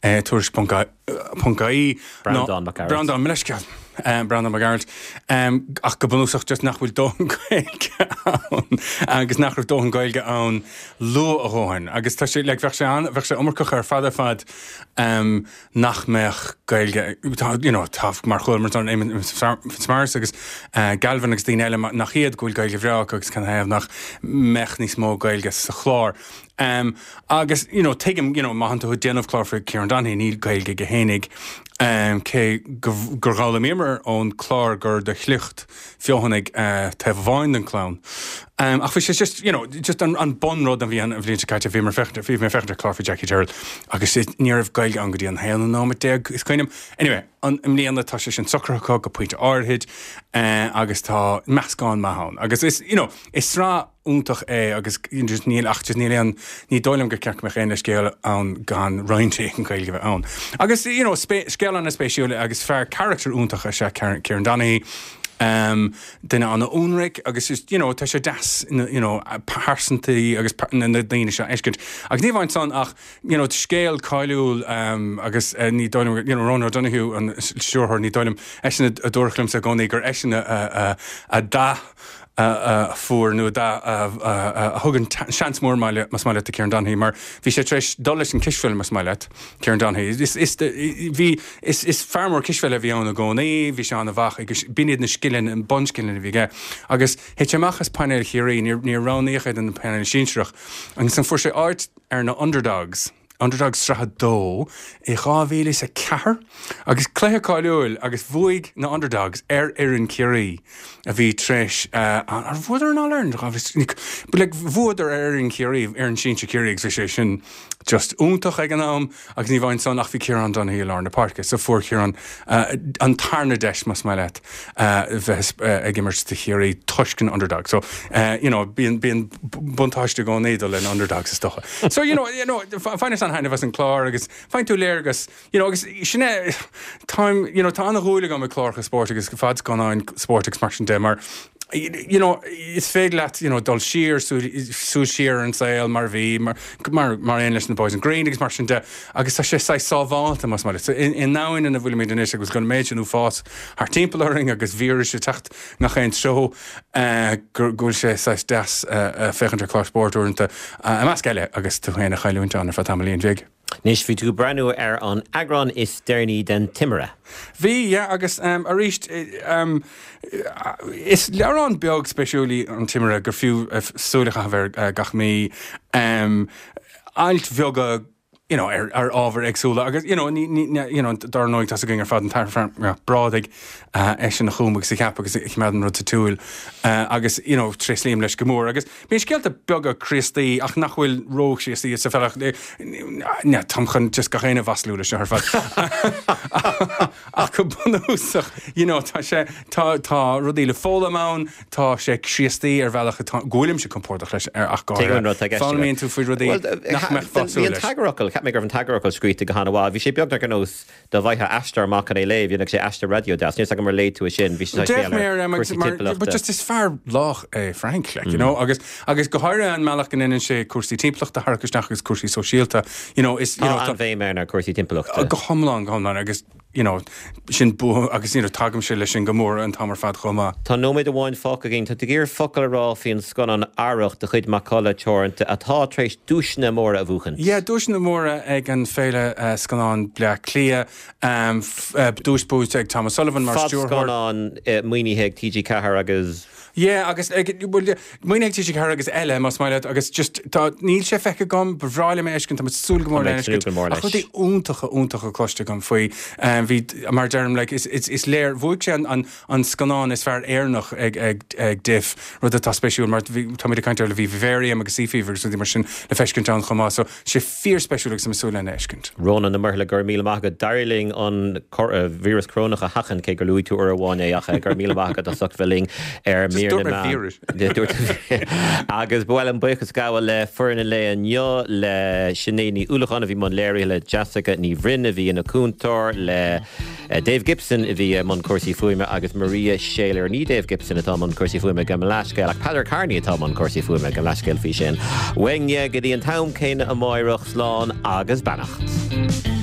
Tuairisc ponc ie, Breandán Mac Gearailt. Breandán, mo leithscéal, Breandán Mac Gearailt, ach go bunúsach just nach bhfuil dóthain Gaeilge ann agus nach raibh dóthain Gaeilge ann luath a dhóthain agus tá sé, like, bheadh sé an, bheadh sé iomarcach ar fad ar fad nach mbeadh Gaeilge, tá, you know, tá, mar chualamar ansan Éamonn Fitzmaurice agus Galvin agus daoine eile nach iad go bhfuil Gaeilge bhreá acu agus canathaobh nach mbeadh níos mó Gaeilge sa chlár. Agus, you know, tuigim, you know, má tánn tú ag déanamh clár faoi Kieran Donaghy, níl Gaeilge aige fhéinig, cé gur dh'fhoghlaimíomar ón chlár gur de shliocht Feothanaigh taobh amháin den chlann. Ach bhí sé just, you know, just an an bunrud a bhí an bhliain seo caite, bhíomar féachaint, bhí mé ag féachaint ar chlár faoi Jackie Tyrrell agus ní raibh Gaeilge ann go dtí an haonú nóiméad déag, is cuimhin liom. Anyway, an, i mbliana tá sé sin socraithe acu go pointe áirithe agus tá meascán maith ann. Agus is, you know, is sraith iontach é agus just níl ach just níl aon, ní dóigh liom gur ceart go mbeadh aon leithscéal ann gan roinnt éigin Gaeilge a bheith ann. Agus, you know, scéal an-spéisiúil agus fear carachtar iontach is ea Kieran Donaghy. Duine an-ionraic agus is, you know, tá sé deas, you know, pearsantaí agus na daoine seo a fheiscint. Agus ní amháin san ach, you know, scéal cáiliúil agus ní dóigh liom, you know, Ronan O'Donoghue an stiúrthóir, ní dóigh liom, eisean a dúradh liomsa i gcónaí gur eisean a a dha a fuair nó a thug an seans mór más maith leat do Kieran Donaghy mar bhí sé tar éis dul leis an cispheil más maith leat, Kieran Donaghy. Is, is, bhí, is, is fear mór cispheile a bhí ann i gcónaí, bhí sé an-mhaith agus b'in iad na scileanna, na bunscileanna a bhí aige. Agus thit sé amach as painéal Chiarraí, níor, níor roghnaíodh é don painéal sinsearach. Agus ansan fuair sé áit ar na Underdogs, Underdogs Sraith 2 i 2004 agus cluiche cáiliúil agus bhuaigh na Underdogs ar fhoireann Chiarraí a bhí tar éis, ar bhuadar an All-Ireland? But like bhuadar ar fhoireann Chiarraí, fhoireann sinsir Chiarraí agus bhí sé sin just iontach ag an am agus ní amháin san ach bhí Kieran Donaghy i lár na páirce so fuair Kieran an tarna deis más maith leat bheith ag imirt do Chiarraí toisc an Underdogs. So, you know, bíonn, bíonn buntáiste i gcónaí dul le na Underdogs is dócha. So, you know, you know, bhaineas an-thaitneamh as an clár agus faigheann tú léargas, you know, agus sin é, táim, you know, tá an-dhúil agam i cláracha spóirt agus fadscannáin spóirt agus mar sin de mar, you know, is féidir leat, you know, dul siar, súil siar ar an saol mar a bhí, mar, mar, mar aon leis na Boys in Green agus mar sin de, agus tá sé saghas sábhálta, más maith leat. So, i, i ndomhan ina bhfuilimid anois agus an méid sin uafás thart timpeall orainn agus víris ag teacht ngach aon treo, go bhfuil sé saghas deas féachaint ar chlár spóirt uaireanta, i measc eile, agus tú féin a chailliúint ann ar feadh tamaillín bhig. Anois, bhí tú ag breathnú ar an eagrán is deireanaí den Timire. Bhí, yeah, agus arís, is leabhrán beag spéisiúil í an Timire gur fiú súil a chaitheamh air gach mí. Ailt bheaga you know, ar, ar ábhair éagsúla agus, you know, ní, ní, you know, dar ndóigh tá's againn ar fad an tAthair Frank Mac Brádaigh, uh, eisean a chum agus a cheap agus a choimeád an rud sa tsiúl, uh, agus, you know, tréaslaím leis go mór agus bíonn scéalta beaga Críostaí ach nach bhfuil ró-Chríostaí sa bhealach, ne, táim chun just gach éinne a mhaslú leis seo ar fad. Ach go bunúsach, you know, tá sé, tá, tá rudaí le foghlaim ann, tá sé Críostaí ar bhealach atá, go bhfuilimse compordach leis ar ach go Tuigim an rud atá i gceist agat. Foghlaimíonn tú faoi rudaí nach mbeifeá ag Bhí súil an leis. t-eagarfhocal, cheap mé go raibh an t-eagarfhocal scríte go han-mhaith. Bhí sé beagnach ar nós dá bhfaigheá aisteoir amach chun é léamh, dhéanfadh sé aistear raidió deas. Níl 's agam ar léigh tú é sin, bhí sé saghas D'fhéach béal mé ar air, em, agus cúrsaí mar, but timpeallachta. just is fear lách é Frank, like, you know, agus, agus go háirithe an mbealach go ndéanann sé cúrsaí timpeallachta a tharrac isteach agus cúrsaí sóisialta, you know, is, you Tá know, tá, an-bhéim air ar cúrsaí timpeallachta. go hiomlán, go hiomlán, agus you know, sin bua agus you know, tagaimse leis sin go mór an t-am ar fad chomh maith. Tá nóiméad amháin fágtha againn. Tá tú ag iarraidh focal a rá faoin scannán Arracht de chuid Macalla Teoranta atá tar éis duaiseanna móra a bhuachaint. Yeah, duaiseanna móra ag an Féile Scannán Bleá Cliath. Duais buaite ag Tom O'Sullivan mar stiúrthóir. Fadscannán maoinithe ag TG4 agus. Yeah, agus ag, bhuel, maoinithe ag TG4 agus eile, más maith leat, agus just, tá, níl sé feicthe agam, ba bhreá liom é a fheiscint, tá mé ag súil go mór lena fheiscint, ach rudaí iontacha, iontacha cloiste agam faoi, bhí, mar a deirim, like, is, is, is léir, bhuaigh sé an, an, an scannán is fearr Éireannach ag, ag, ag DIFF, rud atá spéisiúil mar bhí, táimid ag caint ar, bhí Vivarium agus Sea Fever agus rudaí mar sin le feiscint ann chomh maith, so, sé fíorspéisiúil agus tá mé ag súil lena fheiscint. Rónán Ó Muirthile, go raibh míle maith agat. D'éirigh linn an víreas corónach a sheachaint, cé gur luaigh tú uair amháin é, ach go raibh míle maith agat as ucht bheith linn ar Just Mír dúirt na mé Meán. víreas. Dúirt tú Agus ba mhaith liom buíochas a ghabháil le foireann an lae inniu, le Sinéad Ní Uallacháin a bhí i mbun léirithe, le Jessica Ní Bhroin a bhí ina cúntóir, le Dave Gibson a bhí i mbun cúrsaí fuaime agus Maria Shailer. Ní Dave Gibson atá i mbun cúrsaí fuaime, gabh mo leathscéal, ach Peadar Kearney atá i mbun cúrsaí fuaime, gabh mo leathscéal faoi sin. Uainne go dtí an t-am céanna amáireach, slán agus beannacht.